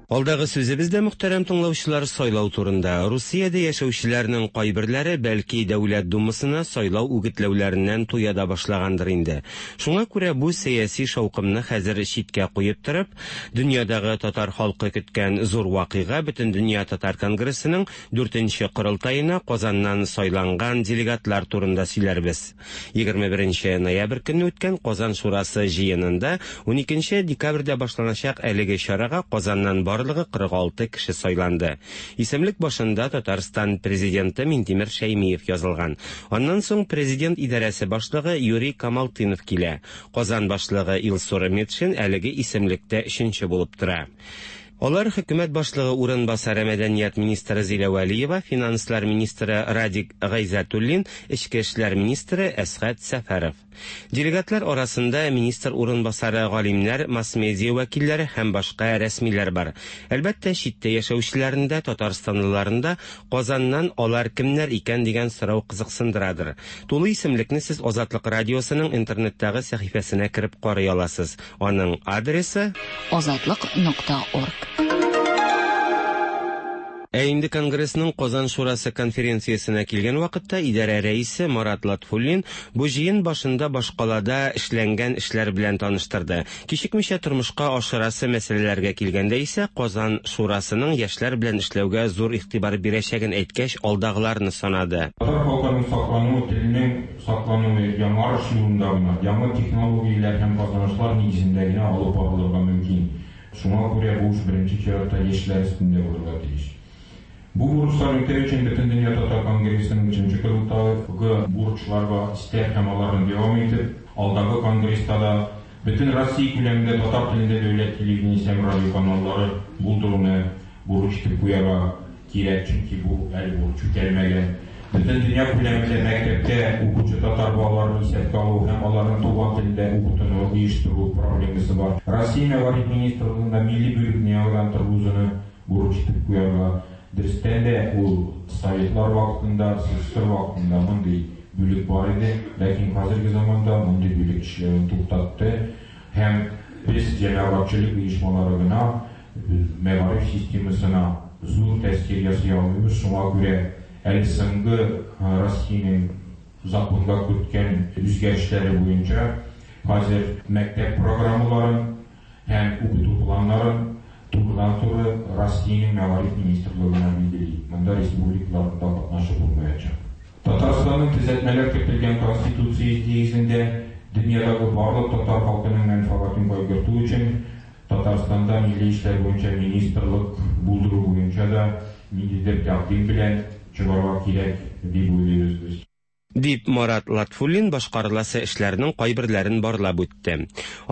Алдагы сүзебез дә, мөхтәрәм тыңлаучылар, сайлау турында. Русиядә яшәүчеләрнең кайберләре бәлки Дәүләт Думасына сайлау үгетләүләреннән туя да башлагандыр инде. Шуңа күрә бу сәяси шаукымны хәзер читкә куеп торып, дөньядагы татар халкы көткән зур вакыйга Бөтендөнья татар конгрессының 4нче корылтаена Казаннан сайланган делегатлар турында сөйләрбез. 21 ноябрь көнне үткән Казан шурасы җыенында 12 декабрьдә башланачак әлеге чарага Казаннан барлыгы 46 кеше сайланды. Исемлек башында Татарстан президенты Минтимер Шәймиев язылган. Аннан соң президент идарәсе башлыгы Юрий Камалтынов килә. Казан башлыгы Илсур Метшин әлеге исемлектә өченче булып тора. Алар хөкүмәт башлыгы урынбасары мәдәният министры Зилә Вәлиева, финанслар министры Радик Гайзатуллин, эчке эшләр министры Әсгать Сәфәров. Делегатлар арасында министр урынбасары, галимнәр, масс-медиа вәкилләре һәм башка рәсмиләр бар. Әлбәттә, читтә яшәүчеләрне дә, татарстанлыларны да Казаннан алар кемнәр икән дигән сорау кызыксындырадыр. Тулы исемлекне сез Азатлык радиосының интернеттагы сәхифәсенә кереп карый аласыз. Аның адресы Азатлык нокта орг. Ә инде Конгрессның Казан Шурасы конференциясенә килгән вакытта идарә рәисе Марат Латфуллин бу җыен башында башкалада эшләнгән эшләр белән таныштырды. Кичекмичә тормышка ашырасы мәсьәләләргә килгәндә исә Казан Шурасының яшьләр белән эшләүгә зур игътибар бирәчәген әйткәч, алдагыларны санады. Татар халкының саклануы, теленең саклануы яңарыш юлында гына, яңа технологияләр һәм казанышлар нигезендә генә алып барылырга мөмкин. Шуңа күрә бу эш беренче чиратта яшьләр өстендә булырга тиеш. Бу бурычларны үтәү өчен Бөтендөнья татар конгрессының өченче корылтае бурычларга өстәп һәм аларны дәвам итеп, алдагы конгресста да бөтен Россия күләмендә татар телендә дәүләт телевидениесе һәм радиоканаллары булдыруны бурыч итеп куярга кирәк, чөнки бу әле бурыч үтәлмәгән. Бөтен дөнья күләмендә мәктәптә укучы татар балаларын исәпкә алу һәм аларның туган телендә укытуны оештыру проблемасы бар. Россия мәгариф министрлыгында милли бүлекне яңадан торгызуны бурыч итеп куярга. Дөрестән дә, ул советлар вакытында, СССР вакытында мондый бүлек бар иде, ләкин хәзерге заманда мондый бүлек эшләвен туктатты һәм без җәмәгатьчелек оешмалары гына мәгариф системасына зур тәэсир ясый алмыйбыз, шуңа күрә әле соңгы Россиянең законга керткән үзгәрешләре буенча хәзер мәктәп программаларын һәм укыту планнарын турыдан-туры Россиянең мәгариф министрлыгына билгели. Монда республикаларның да катнашы булмаячак. Татарстанның төзәтмәләр кертелгән Конституция нигезендә дөньядагы барлык татар халкының мәнфәгатен кайгырту өчен Татарстанда милли эшләр буенча министрлык булдыру буенча да ниндидер тәкъдим белән чыгарга кирәк дип уйлыйбыз без. Дип Марат Латфуллин башкарыласы эшләрнең кайберләрен барлап үтте.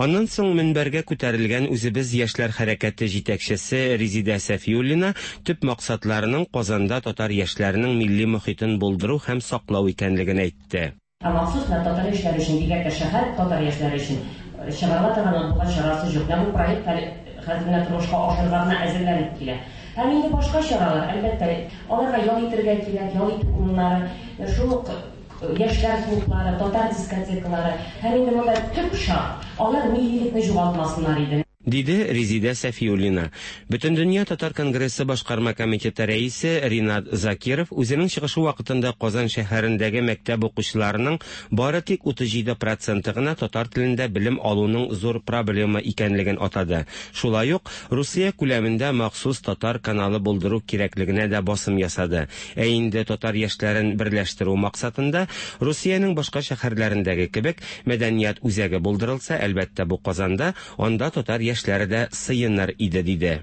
Аннан соң мөнбәргә күтәрелгән Үзебез яшьләр хәрәкәте җитәкчесе Резидә Сәфиуллина төп максатларының Казанда татар яшьләренең милли мохитен булдыру һәм саклау икәнлеген әйтте. Ә махсус менә татар яшьләре өчен, бигрәк тә шәһәр татар яшьләре өчен чыгарыла торган матбугат чарасы юк. Менә бу проект әле хәзер менә тормышка ашырырга гына әзерләнеп килә. Һәм инде башка чаралар, әлбәттә, аларга ял итергә кирәк, ял итү урыннары, шул ук яшьләр клублары, татар дискотекалары һәм инде монда төп шарт, алар миллилекне югалтмасыннар иде. Диде Резидә Сәфиуллина. Бөтендөнья татар конгрессы башкарма комитеты рәисе Ринат Закиров үзенең чыгышы вакытында Казан шәһәрендәге мәктәп укучыларының бары тик 37 проценты гына татар телендә белем алуның зур проблема икәнлеген атады. Шулай ук Русия күләмендә махсус татар каналы булдыру кирәклегенә дә басым ясады. Ә инде татар яшьләрен берләштерү максатында Русиянең башка шәһәрләрендәге кебек мәдәният үзәге булдырылса, әлбәттә бу Казанда, анда татар яшьләре дә сыеныр иде, диде.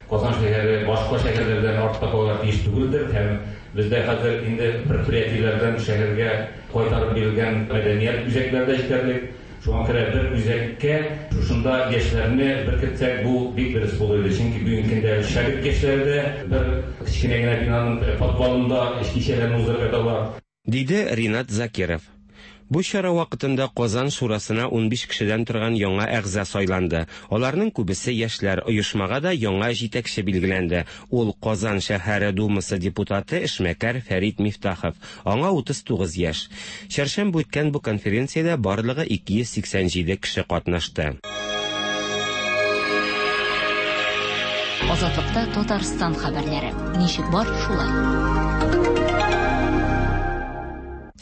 Казан шәһәре башка шәһәрләрдән артта калырга тиеш түгелдер һәм бездә хәзер инде предприятиеләрдән шәһәргә кайтарып бирелгән мәдәният үзәкләре дә җитәрлек. Шуңа күрә бер үзәккә шушында яшьләрне беркетсәк, бу бик дөрес булыр иде. Чөнки бүгенге көндә шәһәр яшьләре дә бер кечкенә генә бинаның подвалында кичәләрне уздырып яталар. Диде Ринат Закиров. Бу чара вакытында Казан шурасына 15 кешедән торган яңа әгъза сайланды. Аларның күбесе яшьләр. Оешмага да яңа җитәкче билгеләнде. Ул Казан шәһәре Думасы депутаты эшмәкәр Фәрит Мифтахов. Аңа 39 яшь. Чәршәмбе үткән бу конференциядә барлыгы 287 кеше катнашты. Азатлыкта Татарстан хәбәрләре. Ничек бар, шулай.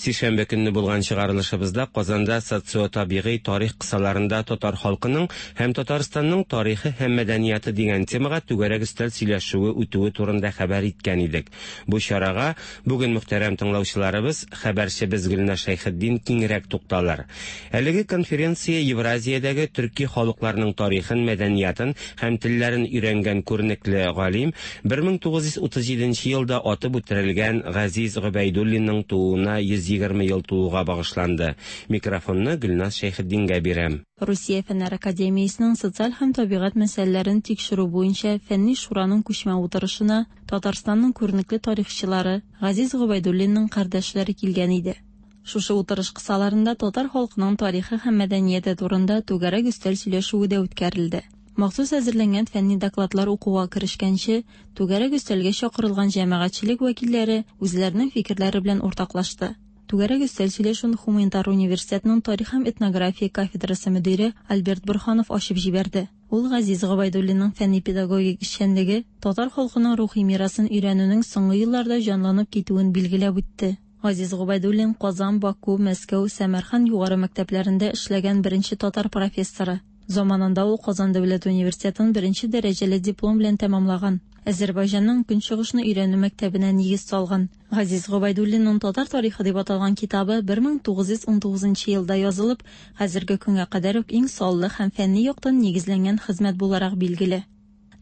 Сишәмбе көнне булган чыгарылышыбызда Казанда социо-табигый тарих кысаларында татар халкының һәм Татарстанның тарихы һәм мәдәнияты дигән темага түгәрәк өстәл сөйләшүе үтүе турында хәбәр иткән идек. Бу чарага бүген мөхтәрәм тыңлаучыларыбыз, хәбәрчебез Гөлназ Шәйхетдин киңрәк тукталыр. Әлеге конференция Евразиядәге төрки халыкларның тарихын, мәдәниятын һәм телләрен өйрәнгән күренекле галим, 1937 нче елда атып үтерелгән Газиз Гобәйдуллинның тууына 120 ел тулуга багышланды. Микрофонны Гөлназ Шәйхетдингә бирәм. Русия Фәннәр академиясенең социаль һәм табигать мәсьәләләрен тикшерү буенча фәнни шураның күчмә утырышына Татарстанның күренекле тарихчылары, Газиз Гобәйдуллинның кардәшләре килгән иде. Шушы утырыш кысаларында татар халкының тарихы һәм мәдәнияте турында түгәрәк өстәл сөйләшүе дә үткәрелде. Махсус әзерләнгән фәнни докладлар укуга керешкәнче, түгәрәк өстәлгә чакырылган җәмәгатьчелек вәкилләре үзләренең фикерләре белән уртаклашты. Түгәрәк өстәл сөйләшүен Һуманитар университетның тарих һәм этнография кафедрасы мөдире Альберт Борһанов ачып җибәрде. Ул Газиз Гобәйдуллинның фәнни-педагогик эшчәнлеге татар халкының рухи мирасын өйрәнүнең соңгы елларда җанланып китүен билгеләп үтте. Газиз Гобәйдуллин Казан, Баку, Мәскәү, Сәмәрхан югары мәктәпләрендә эшләгән беренче татар профессоры. Заманында ул Казан дәүләт университетын беренче дәрәҗәле диплом белән тәмамлаган. Әзербайҗанның Көнчыгышны өйрәнү мәктәбенә нигез салган. Газиз Гобәйдуллинның Татар тарихы дип аталган китабы 1919 нчы елда язылып, хәзерге көнгә кадәр үк иң саллы һәм фәнни яктан нигезләнгән хезмәт буларак билгеле.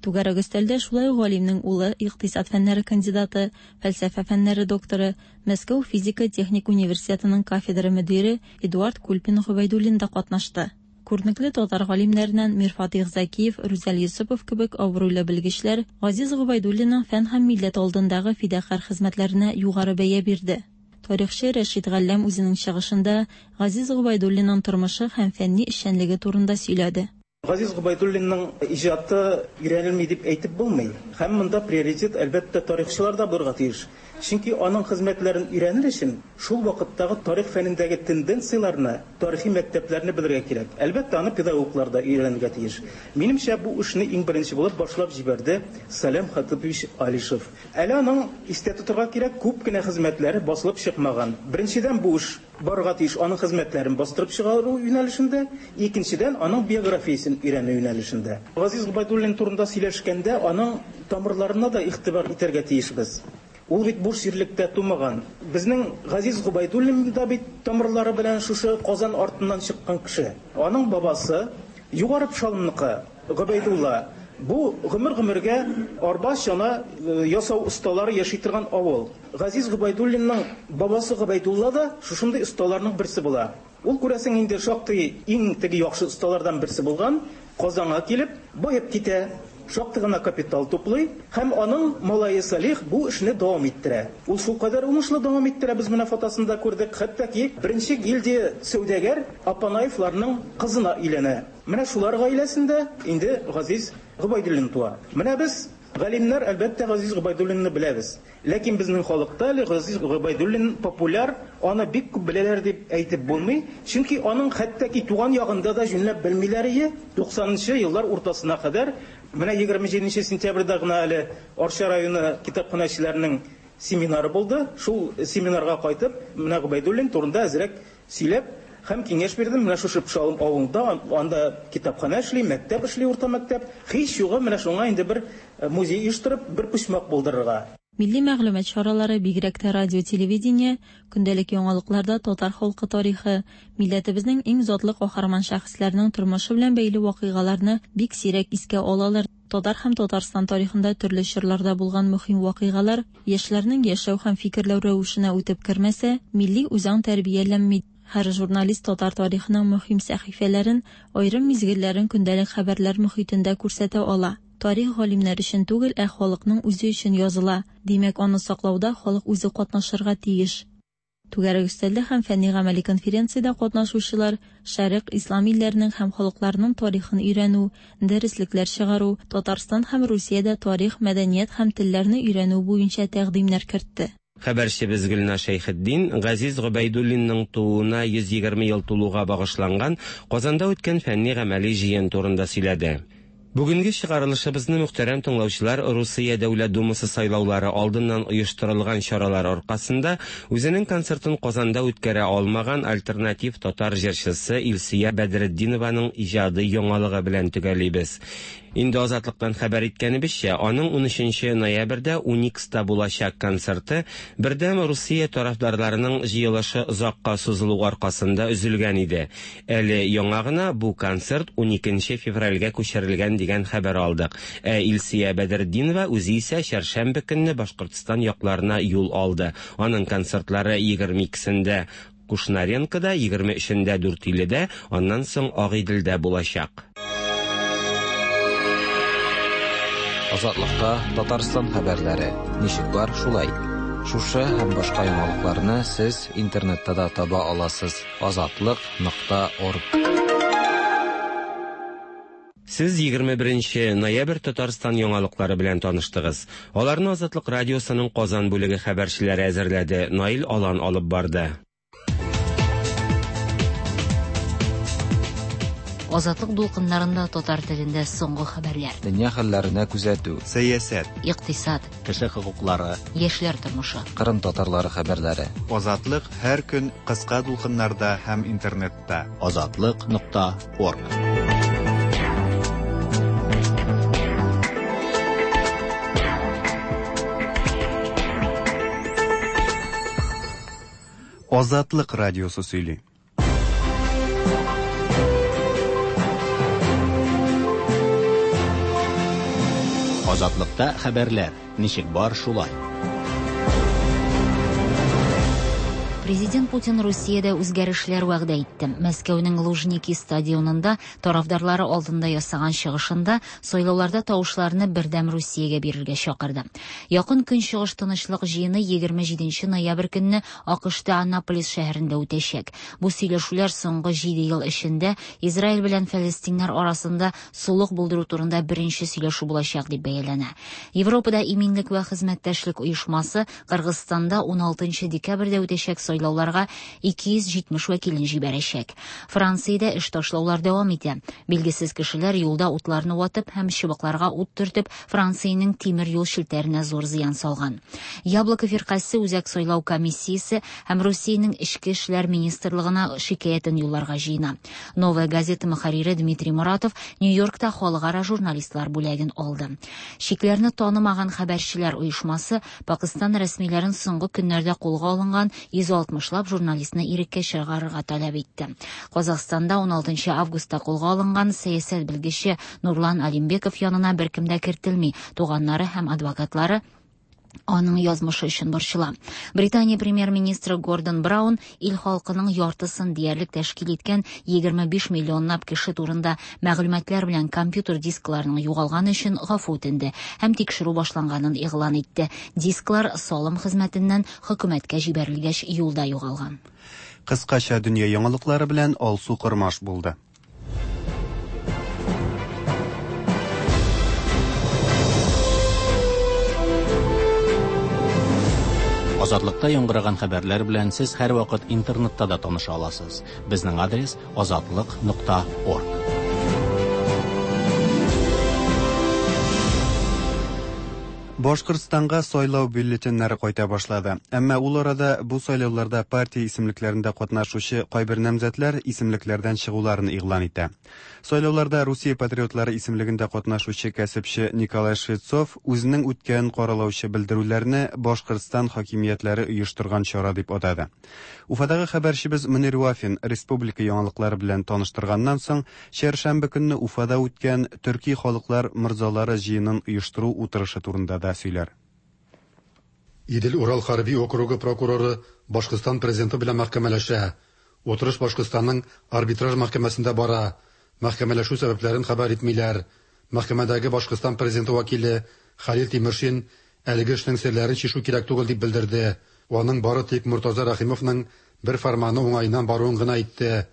Түгәрәк өстәлдә шулай ук галимнең улы, икътисад фәннәре кандидаты, фәлсәфә фәннәре докторы, Мәскәү физика-техник университетының кафедра мөдире Эдуард Кульпин-Гобәйдуллин да катнашты. Күренекле татар галимнәреннән Мирфатыйх Зәкиев, Рүзәл Йосыпов кебек абруйлы белгечләр Газиз Гобәйдуллинның фән һәм милләт алдындагы фидакарь хезмәтләренә югары бәя бирде. Тарихчы Рәшит Галләм үзенең чыгышында Газиз Гобәйдуллинның тормышы һәм фәнни эшчәнлеге турында сөйләде. Газиз Гобәйдуллинның иҗаты өйрәнелми дип әйтеп булмый. Һәм монда приоритет, әлбәттә, тарихчыларда булырга тиеш. Чөнки аның хезмәтләрен өйрәнер өчен шул вакыттагы тарих фәнендәге тенденцияләрне, тарихи мәктәпләрне белергә кирәк. Әлбәттә, аны педагоглар да өйрәнергә тиеш. Минемчә, бу эшне иң беренче булып башлап җибәрде Салям Хатыпович Алишев. Әле аның, истә тотырга кирәк, күп кенә хезмәтләре басылып чыкмаган. Беренчедән, бу эш барырга тиеш аның хезмәтләрен бастырып чыгару юнәлешендә, икенчедән, аның биографиясен өйрәнү юнәлешендә. Газиз Гобәйдуллин турында сөйләшкәндә, аның тамырларына да игътибар итәргә тиешбез. Ул бит буш җирлектә тумаган. Безнең Газиз Гобәйдуллин да бит тамырлары белән шушы Казан артыннан чыккан кеше. Аның бабасы Югары Пшалымныкы, Гобәйдулла. Бу гомер-гомергә арба, чана ясау осталары яши торган авыл. Газиз Гобәйдуллинның бабасы Гобәйдулла да шушындый осталарның берсе була. Ул, күрәсең, инде шактый иң теге яхшы осталардан берсе булган. Казанга килеп, баеп китә, шактый гына капитал туплый һәм аның малае Салих бу эшне дәвам иттерә. Ул шулкадәр уңышлы дәвам иттерә, без менә фотосында күрдек, хәтта ки беренче гильдия сәүдәгәр Апанаевларның кызына өйләнә. Менә шулар гаиләсендә инде Газиз Гобәйдуллин туа. Менә без, галимнәр, әлбәттә, Газиз Гобәйдуллинны беләбез. Ләкин безнең халыкта әле Газиз Гобәйдуллин популяр, аны бик күп беләләр дип әйтеп булмый, чөнки аның хәтта ки туган ягында да җүнләп белмиләр ие, туксанынчы еллар уртасына кадәр. Менә 27 сентябрьдә гына әле Арча районы китапханәчеләренең семинары булды. Шул семинарга кайтып, менә Гобәйдуллин турында әзрәк сөйләп һәм киңәш бирдем. Менә шушы Пошалым авылында, анда китапханә эшли, мәктәп эшли, урта мәктәп. Һич югы менә шуңа инде бер музей оештырып, бер почмак булдырырга. Милли мәгълүмат чаралары, бигрәк тә радио-телевидение, көндәлек яңалыкларда татар халкы тарихы, милләтебезнең иң затлы каһарман шәхесләренең тормышы белән бәйле вакыйгаларны бик сирәк искә алалар. Татар һәм Татарстан тарихында төрле чорларда булган мөһим вакыйгалар яшьләрнең яшәү һәм фикерләү рәвешенә үтеп кермәсә, милли үзаң тәрбияләнми. Һәр журналист татар тарихының мөһим сәхифәләрен, аерым мизгелләрен көндәлек хәбәрләр мохитендә күрсәтә ала. Тарих галимнәр өчен түгел, ә халыкның үзе өчен языла. Димәк, аны саклауда халык үзе катнашырга тиеш. Түгәрәк өстәлдә һәм фәнни-гамәли конференциядә катнашучылар Шәрык, Ислам илләренең һәм халыкларының тарихын өйрәнү, дәреслекләр чыгару, Татарстан һәм Русиядә тарих, мәдәният һәм телләрне өйрәнү буенча тәкъдимнәр кертте. Хәбәрчебез Гөлназ Шәйхетдин Газиз Гобәйдуллинның тууына 120 ел тулуга багышланган Казанда үткән фәнни-гамәли җыен турында сөйләде. Бүгенге чыгарылышыбызны мөхтәрәм тыңлаучылар Русия Дәүләт Думасы сайлаулары алдыннан оештырылган чаралар аркасында үзенең концертын Казанда үткәрә алмаган альтернатив татар җырчысы Илсөя Бәдретдинованың иҗади яңалыгы белән төгәллибез. Инде Азатлыктан хәбәр иткәнебезчә, аның 13 ноябрьдә Уникста булачак концерты Бердәм Русия тарафдарларының җыелышы озакка сузылу аркасында өзелгән иде. Әле яңа гына бу концерт 12 февральгә күчерелгән дигән хәбәр алдык. Ә Илсөя Бәдретдинова үзе исә чәршәмбе көнне Башкортстан якларына юл алды. Аның концертлары 22-сендә Кушнаренкода, 23-ндә Дүртөйледә, аннан соң Агыйделдә булачак. Азатлыкта Татарстан хәбәрләре ничек бар, шулай. Шушы һәм башка яңалыкларны сез интернетта да таба аласыз. Азатлык нокта орг. Сез 21 ноябрь Татарстан яңалыклары белән таныштыгыз. Аларны Азатлык радиосының Казан бүлеге хәбәрчеләре әзерләде, Наил Алан алып барды. Азатлык дулкыннарында татар телендә соңгы хәбәрләр. Дөнья хәлләренә күзәтү. Сәясәт. Икътисад. Кеше хокуклары. Яшьләр тормышы. Кырым татарлары хәбәрләре. Азатлык һәр көн кыска дулкыннарда һәм интернетта. Азатлык нокта орг. Азатлык радиосы сөйли. Азатлыкта хәбәрләр ничек бар шулай. Президент Путин Русиядә үзгәрешләр вәгъдә итте. Мәскәүнең Лужники стадионында тарафдарлары алдында ясаган чыгышында сайлауларда тавышларны Бердәм Русиягә бирергә чакырды. Якын Көнчыгыш тынычлык җыены 27 ноябрь көнне АКШта Аннаполис шәһәрендә үтәчәк. Бу сөйләшүләр соңгы 7 ел эчендә Израиль белән фәлестиннәр арасында солых булдыру турында беренче сөйләшү булачак дип бәяләнә. Европада иминлек вә хезмәттәшлек оешмасы Кыргызстанда 16 декабрьдә үтәчәк сайлауларга 270 вәкилен җибәрәчәк. Франциядә эш ташлаулар дәвам итә. Билгесез кешеләр юлда утларны ватып һәм чыбыкларга ут төртеп Франциянең тимер юл челтәренә зур зыян салган. Яблоко фиркасе Үзәк сайлау комиссиясе һәм Русиянең эчке эшләр министрлыгына шикаятен юлларга җыена. Новая газета мөхәррире Дмитрий Муратов Нью-Йоркта халыкара журналистлар бүләген алды. Чикләрне танымаган хәбәрчеләр оешмасы Пакистан рәсмиләрен соңгы көннәрдә кулга алынган 160лап журналистны иреккә чыгарырга таләп итте. Казахстанда 16 августта кулга алынган сәясәт белгече Нурлан Алимбеков янына беркем дә кертелми. Туганнары һәм адвокатлары аның язмышы өчен борчыла. Британия премьер-министры Гордон Браун ил халкының яртысын диярлек тәшкил иткән 25 миллионлап кеше турында мәгълүматлар белән компьютер дискларының югалганы өчен гафу үтенде һәм тикшерү башланганын игълан итте. Дисклар салым хезмәтеннән хөкүмәткә җибәрелгәч юлда югалган. Кыскача дөнья яңалыклары белән Алсу Кормаш булды. Азатлыкта яңгыраган хәбәрләр белән сез һәрвакыт интернетта да таныша аласыз. Безнең адрес азатлык.орг. Башкортстанга сайлау бюллетеннәре кайта башлады. Әмма ул арада бу сайлауларда партия исемлекләрендә катнашучы кайбер намзәтләр исемлекләрдән чыгуларын игълан итә. Сайлауларда Русия патриотлары исемлегендә катнашучы кәсепче Николай Швецов үзенең үткән каралаучы белдерүләрне Башкортстан хакимиятләре оештырган чара дип атады. Уфадагы хәбәрчебез Мөнир Вафин республика яңалыклары белән таныштырганнан соң, чәршәмбе көнне Уфада үткән төрки халыклар морзалары җыенын оештыру утырышы турында да сөйләр. Идел-Урал хәрби округы прокуроры Башкортстан президенты белән мәхкәмәләшә. Утырыш Башкортстанның арбитраж мәхкәмәсендә бара. Мәхкәмәләшү сәбәпләрен хәбәр итмиләр. Мәхкәмәдәге Башкортстан президенты вәкиле Халил Тимершин әлеге эшнең серләрен чишү кирәк түгел дип белдерде. Аның бары тик Муртаза Рәхимовның бер фәрманы уңаеннан баруын гына әйтте.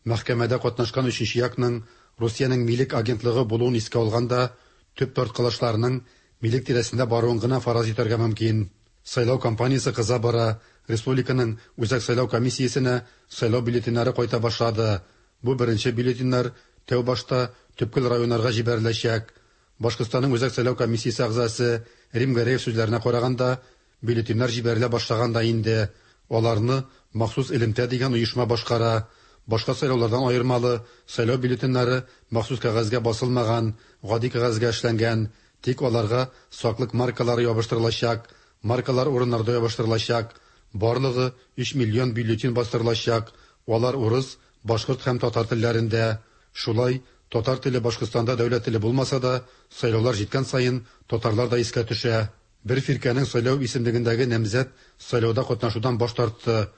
Мәхкәмәдә катнашкан өченче якның Русиянең милек агентлыгы булуын искә алганда, төп тарткалашларның милек тирәсендә баруын гына фараз итәргә мөмкин. Сайлау кампаниясе кыза бара. Республиканың Үзәк сайлау комиссиясенә сайлау бюллетеннәре кайта башлады. Бу беренче бюллетеннәр тәү башта төпкел районнарга җибәреләчәк. Башкортстанның Үзәк сайлау комиссиясе әгъзасы Рим Гәрәев сүзләренә караганда, бюллетеньнәр җибәрелә башлаган да инде. Аларны махсус элемтә дигән оешма башкара. Башка сайлаулардан аермалы, сайлау бюллетеньнәре махсус кәгазьгә басылмаган, гади кәгазьгә эшләнгән. Тик аларга саклык маркалары ябыштырылачак. Маркалар урыннарда ябыштырылачак. Барлыгы 3 миллион бюллетень бастырылачак. Алар урыс, башкорт һәм татар телләрендә. Шулай, татар теле Башкортстанда дәүләт теле булмаса да, сайлаулар җиткән саен татарлар да искә төшә. Бер фиркәнең сайлау исемлегендәге намзәт сайлауда катнашудан баш тартты.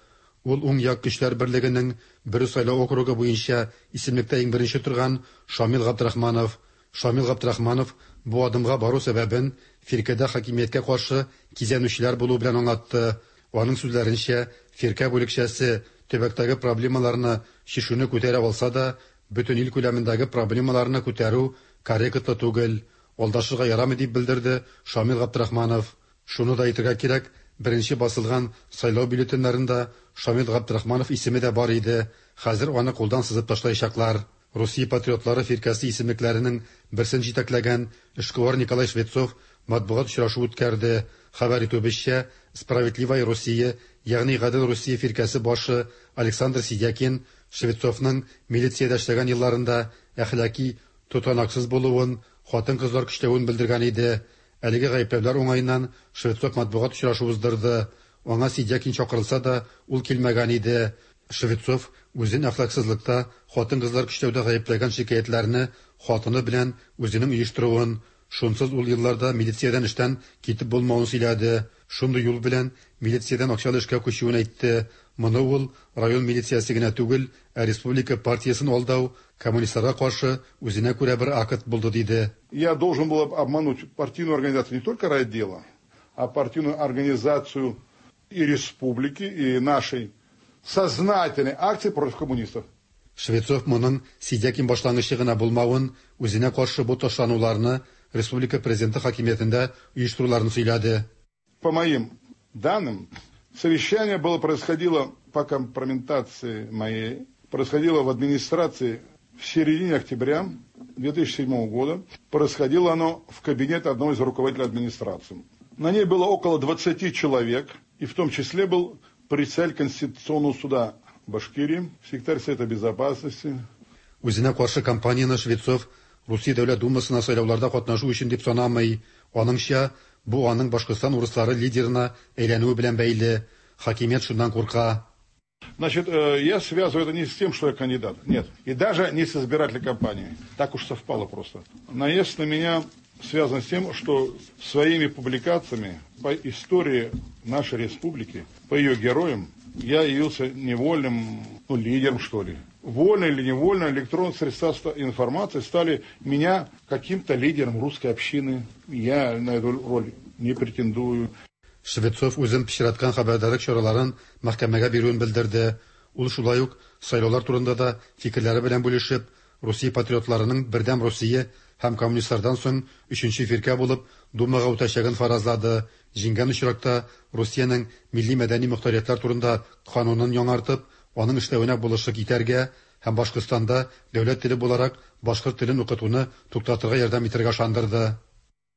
Ул уң як көчләр берлегенең Бөре сайлау округы буенча исемлектә иң беренче торган Шамил Габдрахманов. Шамил Габдрахманов бу адымга бару сәбәбен фиркәдә хакимияткә каршы кизәнүчеләр булу белән аңлатты. Аның сүзләренчә, фиркә бүлекчәсе төбәктәге проблемаларны чишүне күтәрә алса да, бөтен ил күләмендәге проблемаларны күтәрү корректлы түгел. Алдашырга ярамый дип белдерде Шамил Габдрахманов. Шуны да әйтергә кирәк, беренче басылган сайлау бюллетеньнәрендә Шамил Габдрахманов исеме дә бар иде. Хәзер аны кулдан сызып ташлаячаклар. Русия патриотлары фиркәсе исемлекләренең берсен җитәкләгән эшкуар Николай Швецов матбугат очрашу үткәрде. Хәбәр итүебезчә, Справедливая Россия, ягъни Гадел Русия фиркәсе башы Александр Сидякин Швецовның милициядә эшләгән елларында әхлаки тотанаксыз булуын, хатын-кызлар көчләвен белдергән иде. Әлеге гаепләүләр уңаеннан Швецов матбугат очрашу уздырды. Аңа Сидякин чакырылса да, ул килмәгән иде. Швецов үзен әхлаксызлыкта, хатын-кызлар көчләүдә гаепләгән шикаятьләрне хатыны белән үзенең оештыруын, шунсыз ул елларда милициядән эштән китеп булмавын сөйләде. Шундый юл белән милициядән акчалы эшкә күчүен әйтте. Моны ул район милициясе генә түгел, ә республика партиясен алдау, коммунистларга каршы үзенә күрә бер акт булды диде. Я должен был обмануть партийную организацию не только райотдела, а партийную организацию и республики, и нашей сознательной акции против коммунистов. Швецов моның Сидякин башлангычы гына булмавын, үзенә каршы бу ташлануларны республика президенты хакимиятендә оештыруларын сөйләде. По моим данным, совещание было происходило по компрометации моей, происходило в администрации в середине октября 2007 года. Происходило оно в кабинете одного из руководителей администрации. На ней было около 20 человек, и в том числе был председатель Конституционного суда Башкирии, секретарь Совета Безопасности. Үзенә каршы кампанияне Швецов Русия Дәүләт Думасына сайлауларда катнашу өчен дип санамый. Аныңча, бу аның Башкортстан урыслары лидерына әйләнүе белән бәйле. Хакимият шуннан курка. Значит, я связываю это не с тем, что я кандидат. Нет. И даже не с избирательной кампанией. Так уж совпало просто. Наезд на меня связан с тем, что своими публикациями по истории нашей республики, по ее героям, я явился невольным, ну, лидером, что ли. Вольно или невольно электронные средства информации стали меня каким-то лидером русской общины. Я на эту роль не претендую. Швецов үзен пычраткан хәбәрдарлык чараларын мәхкәмәгә бирүен белдерде. Ул шулай ук сайлаулар турында да фикерләре белән бүлешеп, Русия патриотларының Бердәм Русия һәм коммунистлардан соң өченче фиркә булып Думага үтәчәген фаразлады. Җиңгән очракта Русиянең милли мәдәни мохтариятлар турында канунын яңартып, аның эшләвенә булышлык итәргә һәм Башкортстанда дәүләт теле буларак башкорт телен укытуны туктатырга ярдәм итәргә ышандырды.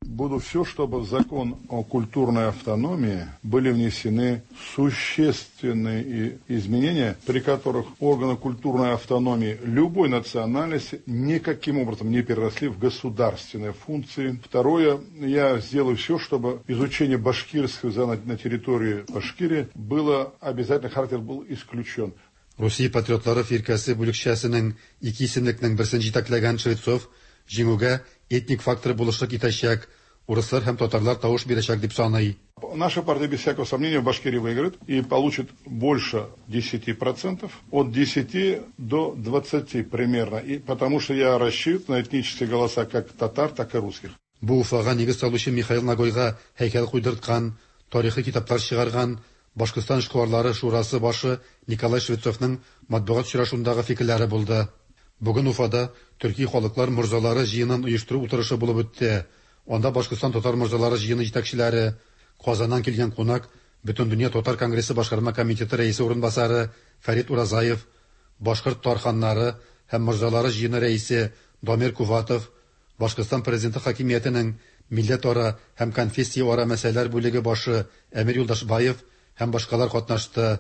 Буду все, чтобы в закон о культурной автономии были внесены существенные изменения, при которых органы культурной автономии любой национальности никаким образом не переросли в государственные функции. Второе, я сделаю все, чтобы изучение башкирского языка на территории Башкирии было обязательно, характер был исключен. Русия патриотлары фиркәсе бүлекчәсенең ике исемлекнең берсен җитәкләгән Швецов җиңүгә этник фактор булышлык итәчәк, урыслар һәм татарлар тавыш бирәчәк дип саный. Наша партия, без всякого сомнения, в Башкирии выиграет и получит больше 10%, от 10 до 20 примерно, и потому что я рассчитываю на этнические голоса как татар, так и русских. Бу Уфага нигез салучы Михаил Нагойга һәйкәл куйдырткан, тарихи китаплар чыгарган Башкортстан эшкуарлары шурасы башы Николай Швецовның матбугат очрашуындагы фикерләре булды. Бүген Уфада төрки халыклар морзалары җыенын оештыру утырышы булып үтте. Анда Башкортстан татар морзалары җыены җитәкчеләре, Казаннан килгән кунак, Бөтендөнья татар конгрессы башкарма комитеты рәисе урынбасары Фәрит Уразаев, башкорт тарханнары һәм морзалары җыены рәисе Дамир Куватов, Башкортстан президенты хакимиятенең милләтара һәм конфессияара мәсьәләләр бүлеге башы Әмир Юлдашбаев һәм башкалар катнашты.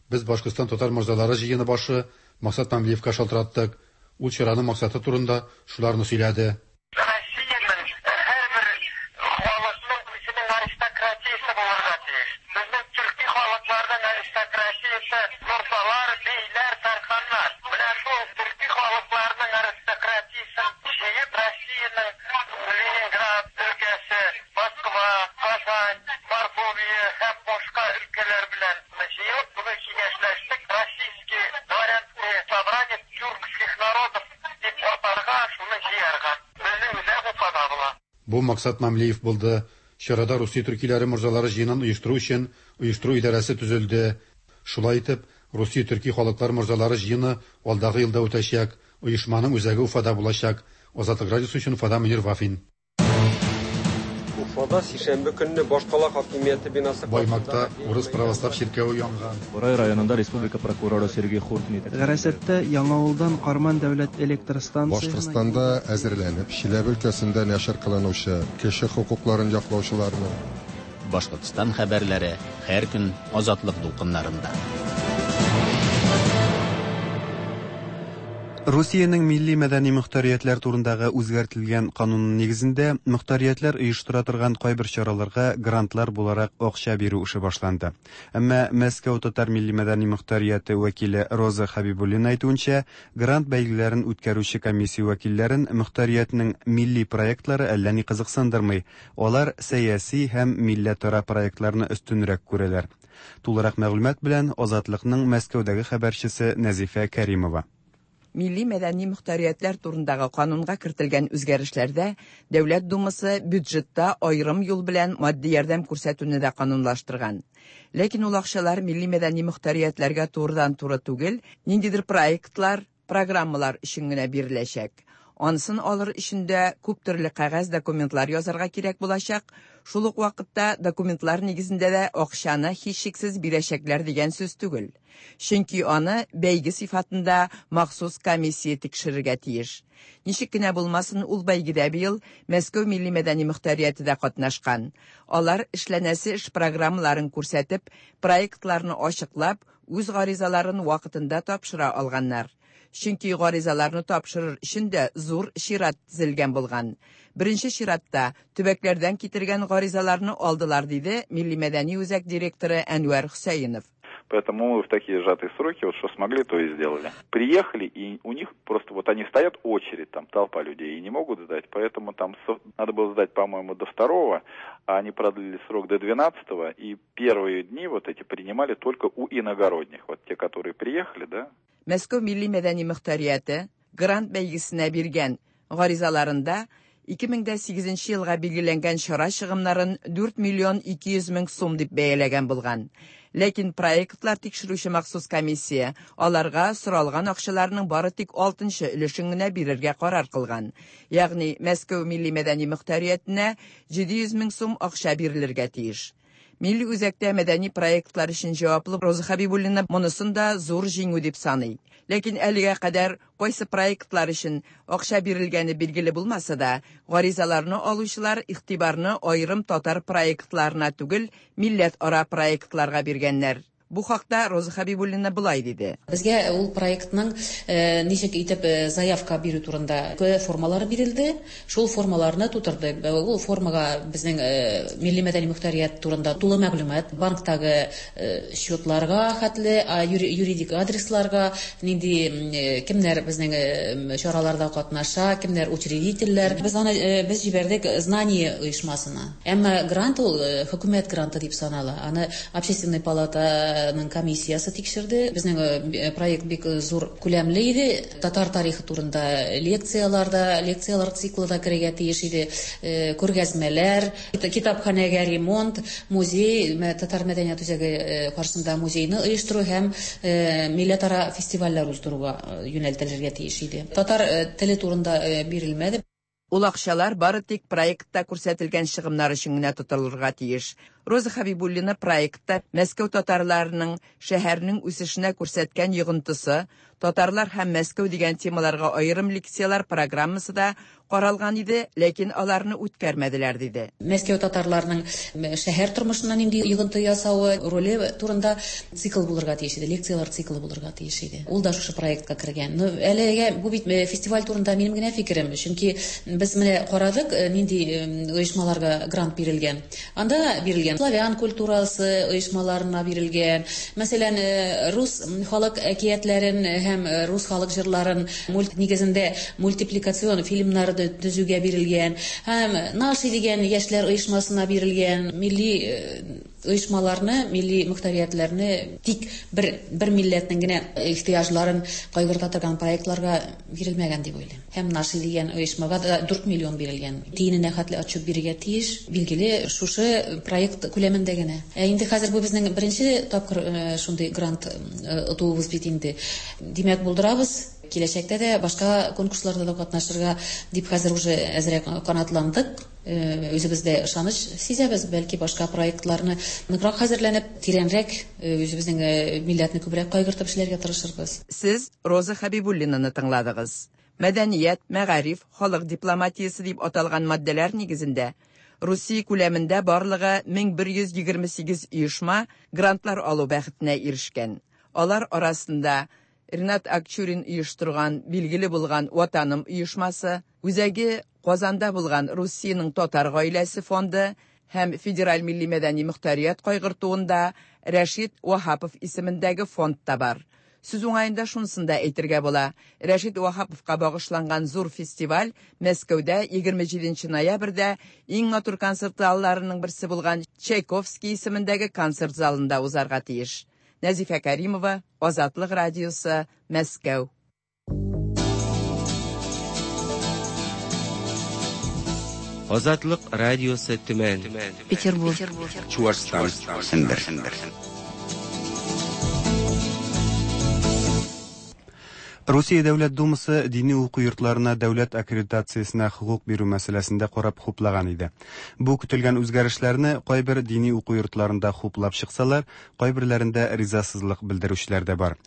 Без Башкортстан татар морзалары җыены башы Максат Мамлиевка шалтыраттык. Ул чараның максаты турында шуларны сөйләде. Россиянең һәрбер халыкның үзенең аристократиясе булырга тиеш. Безнең төрки халыкларның аристократиясе морзалар, бейләр, тарханнар. Менә шул төрки халыкларның аристократиясен җыеп, Россиянең Ленинград өлкәсе, Москва, Казань, Мордовия һәм башка өлкәләр белән җыелып, шуны киңәшләштек, Российский дворянское собрание тюркских народов дип атарга, шуны җыярга. Безнең үзәк Уфада була. Бу Максат Мамлиев булды. Чарада Русия төркиләре морзалары җыенын оештыру өчен оештыру идарәсе төзелде. Шулай итеп, Русия төрки халыклар морзалары җыены алдагы елда үтәчәк. Оешманың үзәге Уфада булачак. Азатлык радиосы өчен Уфадан Мөнир Вафин. Уфада сишәмбе көнне башкала хакимияте бинасы Баймакта урыс православ чиркәве янган. Борай районында республика прокуроры Сергей Хуртин Гарасатта Яңавылдан Карман дәүләт электр станциясенә Башкортстанда әзерләнеп, Чиләбе өлкәсендә нәшер кылынучы кеше хокукларын яклаучыларның Башкортстан хәбәрләре һәр көн Азатлык дулкыннарында. Русиянең милли мәдәни мөхтәриятләр турындагы үзгәртелгән кануны нигезендә мөхтәриятләр оештыра торган кайбер чараларга грантлар буларак акча бирү эше башланды. Әмма Мәскәү татар милли мәдәни мөхтәрияте вәкиле Роза Хәбибуллина әйтүенчә, грант бәйгеләрен үткәрүче комиссия вәкилләрен мөхтәриятнең милли проектлары әллә ни кызыксындырмый. Алар сәяси һәм милләтара проектларны өстенрәк күрәләр. Тулырак мәгълүмат белән Азатлыкның Мәскәүдәге хәбәрчесе Нәзифә Кәримова. Милли мәдәни мөхтәриятләр турындагы канунга кертелгән үзгәрешләрдә Дәүләт Думасы бюджетта аерым юл белән матди ярдәм күрсәтүне дә канунлаштырган. Ләкин ул акчалар милли мәдәни мөхтәриятләргә турыдан-туры түгел, ниндидер проектлар, программалар өчен генә биреләчәк. Анысын алыр өчен дә күп төрле кәгазь документлар язарга кирәк булачак. Шул ук вакытта документлар нигезендә дә акчаны һичшиксез бирәчәкләр дигән сүз түгел. Чөнки аны бәйге сыйфатында махсус комиссия тикшерергә тиеш. Ничек кенә булмасын, ул бәйгедә быел Мәскәү милли мәдәни мөхтәрияте дә катнашкан. Алар эшләнәсе эш программаларын күрсәтеп, проектларны ачыклап, үз гаризаларын вакытында тапшыра алганнар. Чөнки гаризаларны тапшырыр өчен дә зур чират тезелгән булган. Беренче чиратта төбәкләрдән китергән гаризаларны алдылар, диде Милли мәдәни үзәк директоры Әнвәр Хөсәенов. Поэтому мы в такие сжатые сроки, вот что смогли, то и сделали. Приехали, и у них просто вот они стоят очередь, там толпа людей, и не могут сдать, поэтому там надо было сдать, по-моему, до 2-го, а они продлили срок до 12-го, и первые дни вот эти принимали только у иногородних, вот те, которые приехали, да. Мәскәү милли мәдәни мөхтәрияте грант бәйгесенә биргән гаризаларында 2008 елга билгеләнгән чара чыгымнарын 4 миллион 200 мең сум дип бәяләгән булган. Ләкин проектлар тикшерүче махсус комиссия аларга соралган акчаларның бары тик 6 өлешен генә бирергә карар кылган. Ягъни Мәскәү милли мәдәни мөхтәриятенә 700 мең сум акча бирелергә тиеш. Милли үзәктә мәдәни проектлар өчен җаваплы Роза Хәбибуллина монысын да зур җиңү дип саный. Ләкин әлегә кадәр кайсы проектлар өчен акча бирелгәне билгеле булмаса да, гаризаларны алучылар игътибарны аерым татар проектларына түгел, милләтара проектларга биргәннәр. Бу хакта Роза Хәбибуллина болай диде. Безгә ул проектның ничек итеп заявка бирү турында формалары бирелде. Шул формаларны тутырдык. Ул формага безнең милли мәдәни мөхтәрият турында тулы мәгълүмат, банктагы счетларга хәтле, юридик адресларга, нинди кемнәр безнең чараларда катнаша, кемнәр учредительләр. Без аны без җибәрдек Знание оешмасына. Әмма грант ул хөкүмәт гранты дип санала. Аны общественный палата комиссиясе тикшерде. Безнең проект бик зур күләмле иде. Татар тарихы турында лекцияларда, лекциялар циклы да керергә тиеш иде. Күргәзмәләр, китапханәгә ремонт, музей, татар мәдәният үзәге каршында музейны оештыру һәм милләтара фестивальләр уздыруга юнәлтелергә тиеш иде. Татар теле турында бирелмәде. Ул акчалар бары тик проектта күрсәтелгән чыгымнар өчен генә тотылырга тиеш. Роза Хәбибуллина проектта Мәскәү татарларының шәһәрнең үсешенә күрсәткән йогынтысы, татарлар һәм Мәскәү дигән темаларга аерым лекцияләр программасы да каралган иде, ләкин аларны үткәрмәделәр, диде. Мәскәү татарларының шәһәр тормышына нинди йогынты ясавы, роле турында цикл булырга тиеш иде, лекцияләр циклы булырга тиеш иде. Ул да шушы проектка кергән. Ну, әлегә бу бит фестиваль турында минем генә фикерем, чөнки без менә карадык, нинди оешмаларга грант бирелгән. Анда бирелгән славян культурасы оешмаларына бирелгән. Мәсәлән, рус халык әкиятләрен һәм рус халык җырларын мульт нигезендә мультипликацион фильмнар төзүгә бирелгән. Һәм Наши дигән яшьләр оешмасына бирелгән. Милли оешмаларны, милли мөхтәриятләрне тик бер бер милләтнең генә ихтыяҗларын кайгырта торган проектларга бирелмәгән дип уйлыйм. Һәм Наши дигән оешмага да 4 миллион бирелгән. Тиененә хәтле отчет бирергә тиеш. Билгеле, шушы проект күләмендә генә. Ә инде хәзер бу безнең беренче тапкыр шундый грант отуыбыз бит инде. Димәк, булдырабыз. Киләчәктә дә башка конкурсларда да катнашырга дип хәзер уже әзрәк канатландык. Үзебездә ышаныч сизәбез, бәлки башка проектларны ныграк хәзерләнеп, тирәнрәк үзебезнең милләтне күбрәк кайгыртып эшләргә тырышырбыз. Сез Роза Хәбибуллинаны тыңладыгыз. Мәдәният, мәгариф, халык дипломатиясе дип аталган маддәләр нигезендә Русия күләмендә барлыгы 1128 оешма грантлар алу бәхетенә ирешкән. Алар арасында Ринат Акчурин оештырган билгеле булган Ватаным оешмасы, үзәге Казанда булган Русиянең татар гаиләсе фонды һәм Федераль милли мәдәни мөхтәрият кайгыртуында Рәшит Ваһапов исемендәге фонд та бар. Сүз уңаенда шунысын да әйтергә була. Рәшит Ваһаповка багышланган зур фестиваль Мәскәүдә 27 ноябрьдә иң матур концерт залларының берсе булган Чайковский исемендәге концерт залында узарга тиеш. Нәзифә Кәримова, Азатлык радиосы, Мәскәү. Азатлык радиосы Төмән. Петербург. Чуашстан. Сембер. Русия Дәүләт Думасы дини уку йортларына дәүләт аккредитациясенә хокук бирү мәсьәләсендә карап хуплаган иде. Бу көтелгән үзгәрешләрне кайбер дини уку йортларында хуплап чыксалар, кайберләрендә ризасызлык белдерүчеләр дә бар.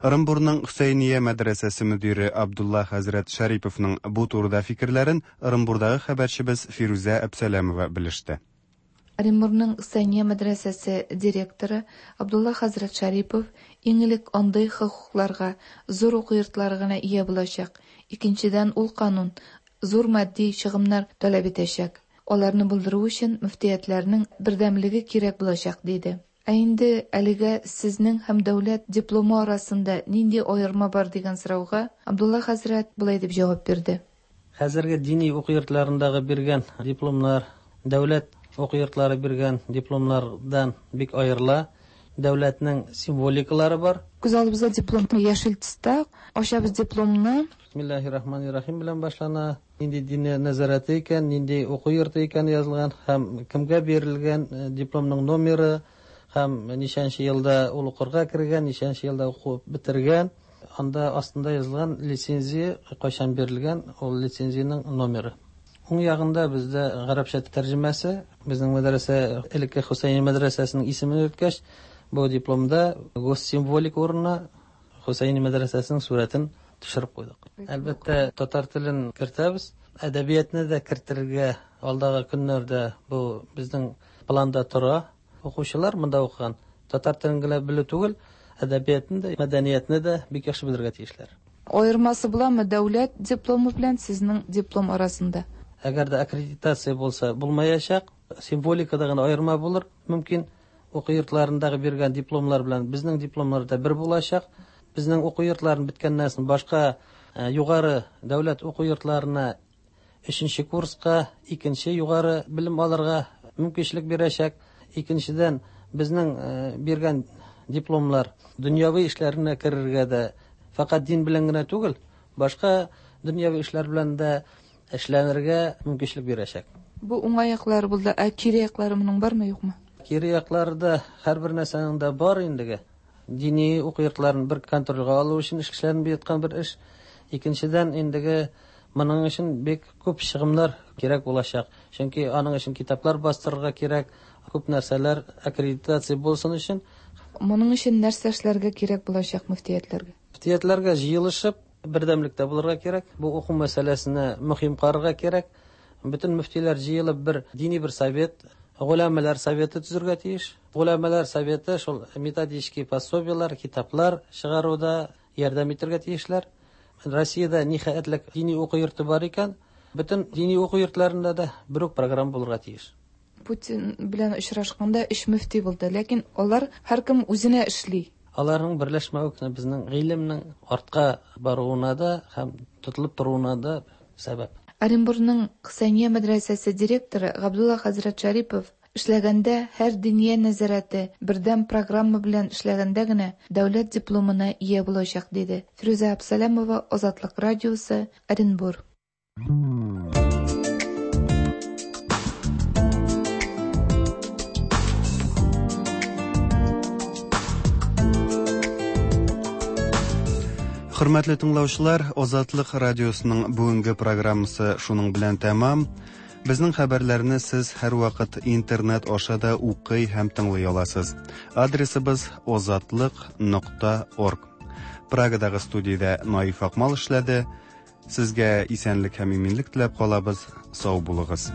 Ырынбурның Хөсәйния мәдрәсәсе мөдире Абдулла хәзрәт Шәриповның бу турыда фикерләрен Ырынбурдагы хәбәрчебез Фирүзә Әбсәләмова белеште. Оренбургның Хөсәения мәдрәсәсе директоры Абдулла хәзрәт Шәрипов иң элек андый хокукларга зур уку йортлары гына ия булачак, икенчедән, ул канун зур матди чыгымнар таләп итәчәк, аларны булдыру өчен мөфтиятләрнең бердәмлеге кирәк булачак, диде. Ә инде әлегә сезнең һәм дәүләт дипломы арасында нинди аерма бар дигән сорауга Абдулла хәзрәт болай дип җавап бирде. Хәзерге дини уку йортларындагы биргән дипломнар дәүләт уку йортлары биргән дипломнардан бик аерыла. Дәүләтнең символикалары бар. Күз алдыбызда диплом яшел төстә. Ачабыз дипломны. Бисмиллаһир-рахманир-рахим белән башлана. Нинди диния нәзарәте икән, нинди уку йорты икәне язылган һәм кемгә бирелгән дипломның номеры һәм ничәнче елда ул укырга кергән, ничәнче елда укып бетергән. Анда астында язылган лицензия кайчан бирелгән, ул лицензиянең номеры. Уң ягында бездә гарәпчә тәрҗемәсе, безнең мәдрәсә элекке Хөсәйни мәдрәсәсенең исемен йөрткәч, бу дипломда госсимволика урынына Хөсәйни мәдрәсәсенең сурәтен төшереп куйдык. Әлбәттә, татар телен кертәбез, әдәбиятны да кертергә алдагы көннәрдә бу безнең планда тора. Укучылар монда укыган татар телен генә белү түгел, әдәбиятны да, мәдәниятне дә бик яхшы белергә тиешләр. Аермасы буламы дәүләт дипломы белән сезнең диплом арасында? Әгәр дә аккредитация булса, булмаячак. Символикада гына аерма булыр мөмкин. Уку йортларындагы биргән дипломнар белән безнең дипломнар да бер булачак. Безнең уку йортларын беткәннән соң башка югары дәүләт уку йортларына өченче курска, икенче югары белем алырга мөмкинчелек бирәчәк. Икенчедән, безнең биргән дипломнар дөньяви эшләренә керергә дә, фәкать дин белән генә түгел, башка дөньяви эшләр белән дә эшләнергә мөмкинчелек бирәчәк. Бу уңай яклары булды, ә кире яклары моның бармы, юкмы? Кире яклары да һәрбер нәрсәнең дә бар индеге. Дини уку йортларын бер контрольгә алу өчен эшләнеп яткан бер эш. Икенчедән, индеге Моның өчен бик күп чыгымнар кирәк булачак. Чөнки аның өчен китаплар бастырырга кирәк, күп нәрсәләр аккредитация булсын өчен. Моның өчен нәрсә эшләргә кирәк булачак мөфтиятләргә? Мөфтиятләргә җыелышып, бердәмлектә булырга кирәк. Бу уку мәсьәләсенә мөһим карарга кирәк. Бөтен мөфтиләр җыелып бер дини бер совет, голәмәләр советы төзергә тиеш. Голәмәләр советы шул методический пособиеләр, китаплар чыгаруда ярдәм итәргә тиешләр. Россиядә нихәтлек дини уку йорты бар икән, бөтен дини уку йортларында да бер үк программа булырга тиеш. Путин белән очрашканда өч мөфти булды, ләкин алар һәркем үзенә эшли. Аларның берләшмәве безнең гыйлемнең артка баруына да һәм тотылып торуына да сәбәп. Оренбургның Хөсәения мәдрәсәсе директоры Габдулла хәзрәт Шәрипов эшләгәндә һәр диния нәзарәте бердәм программа белән эшләгәндә генә дәүләт дипломына ия булачак, диде. Фирүзә Абсалямова, Азатлык радиосы, Оренбур. Хөрмәтле тыңлаучылар, Азатлык радиосының бүгенге программасы шуның белән тәмам. Безнең хәбәрләрне сез һәрвакыт интернет аша да укый һәм тыңлый аласыз. Адресыбыз озатлык.орг. Прагадагы студиядә Наиф Акмал эшләде. Сезгә исәнлек һәм иминлек теләп калабыз. Сау булыгыз.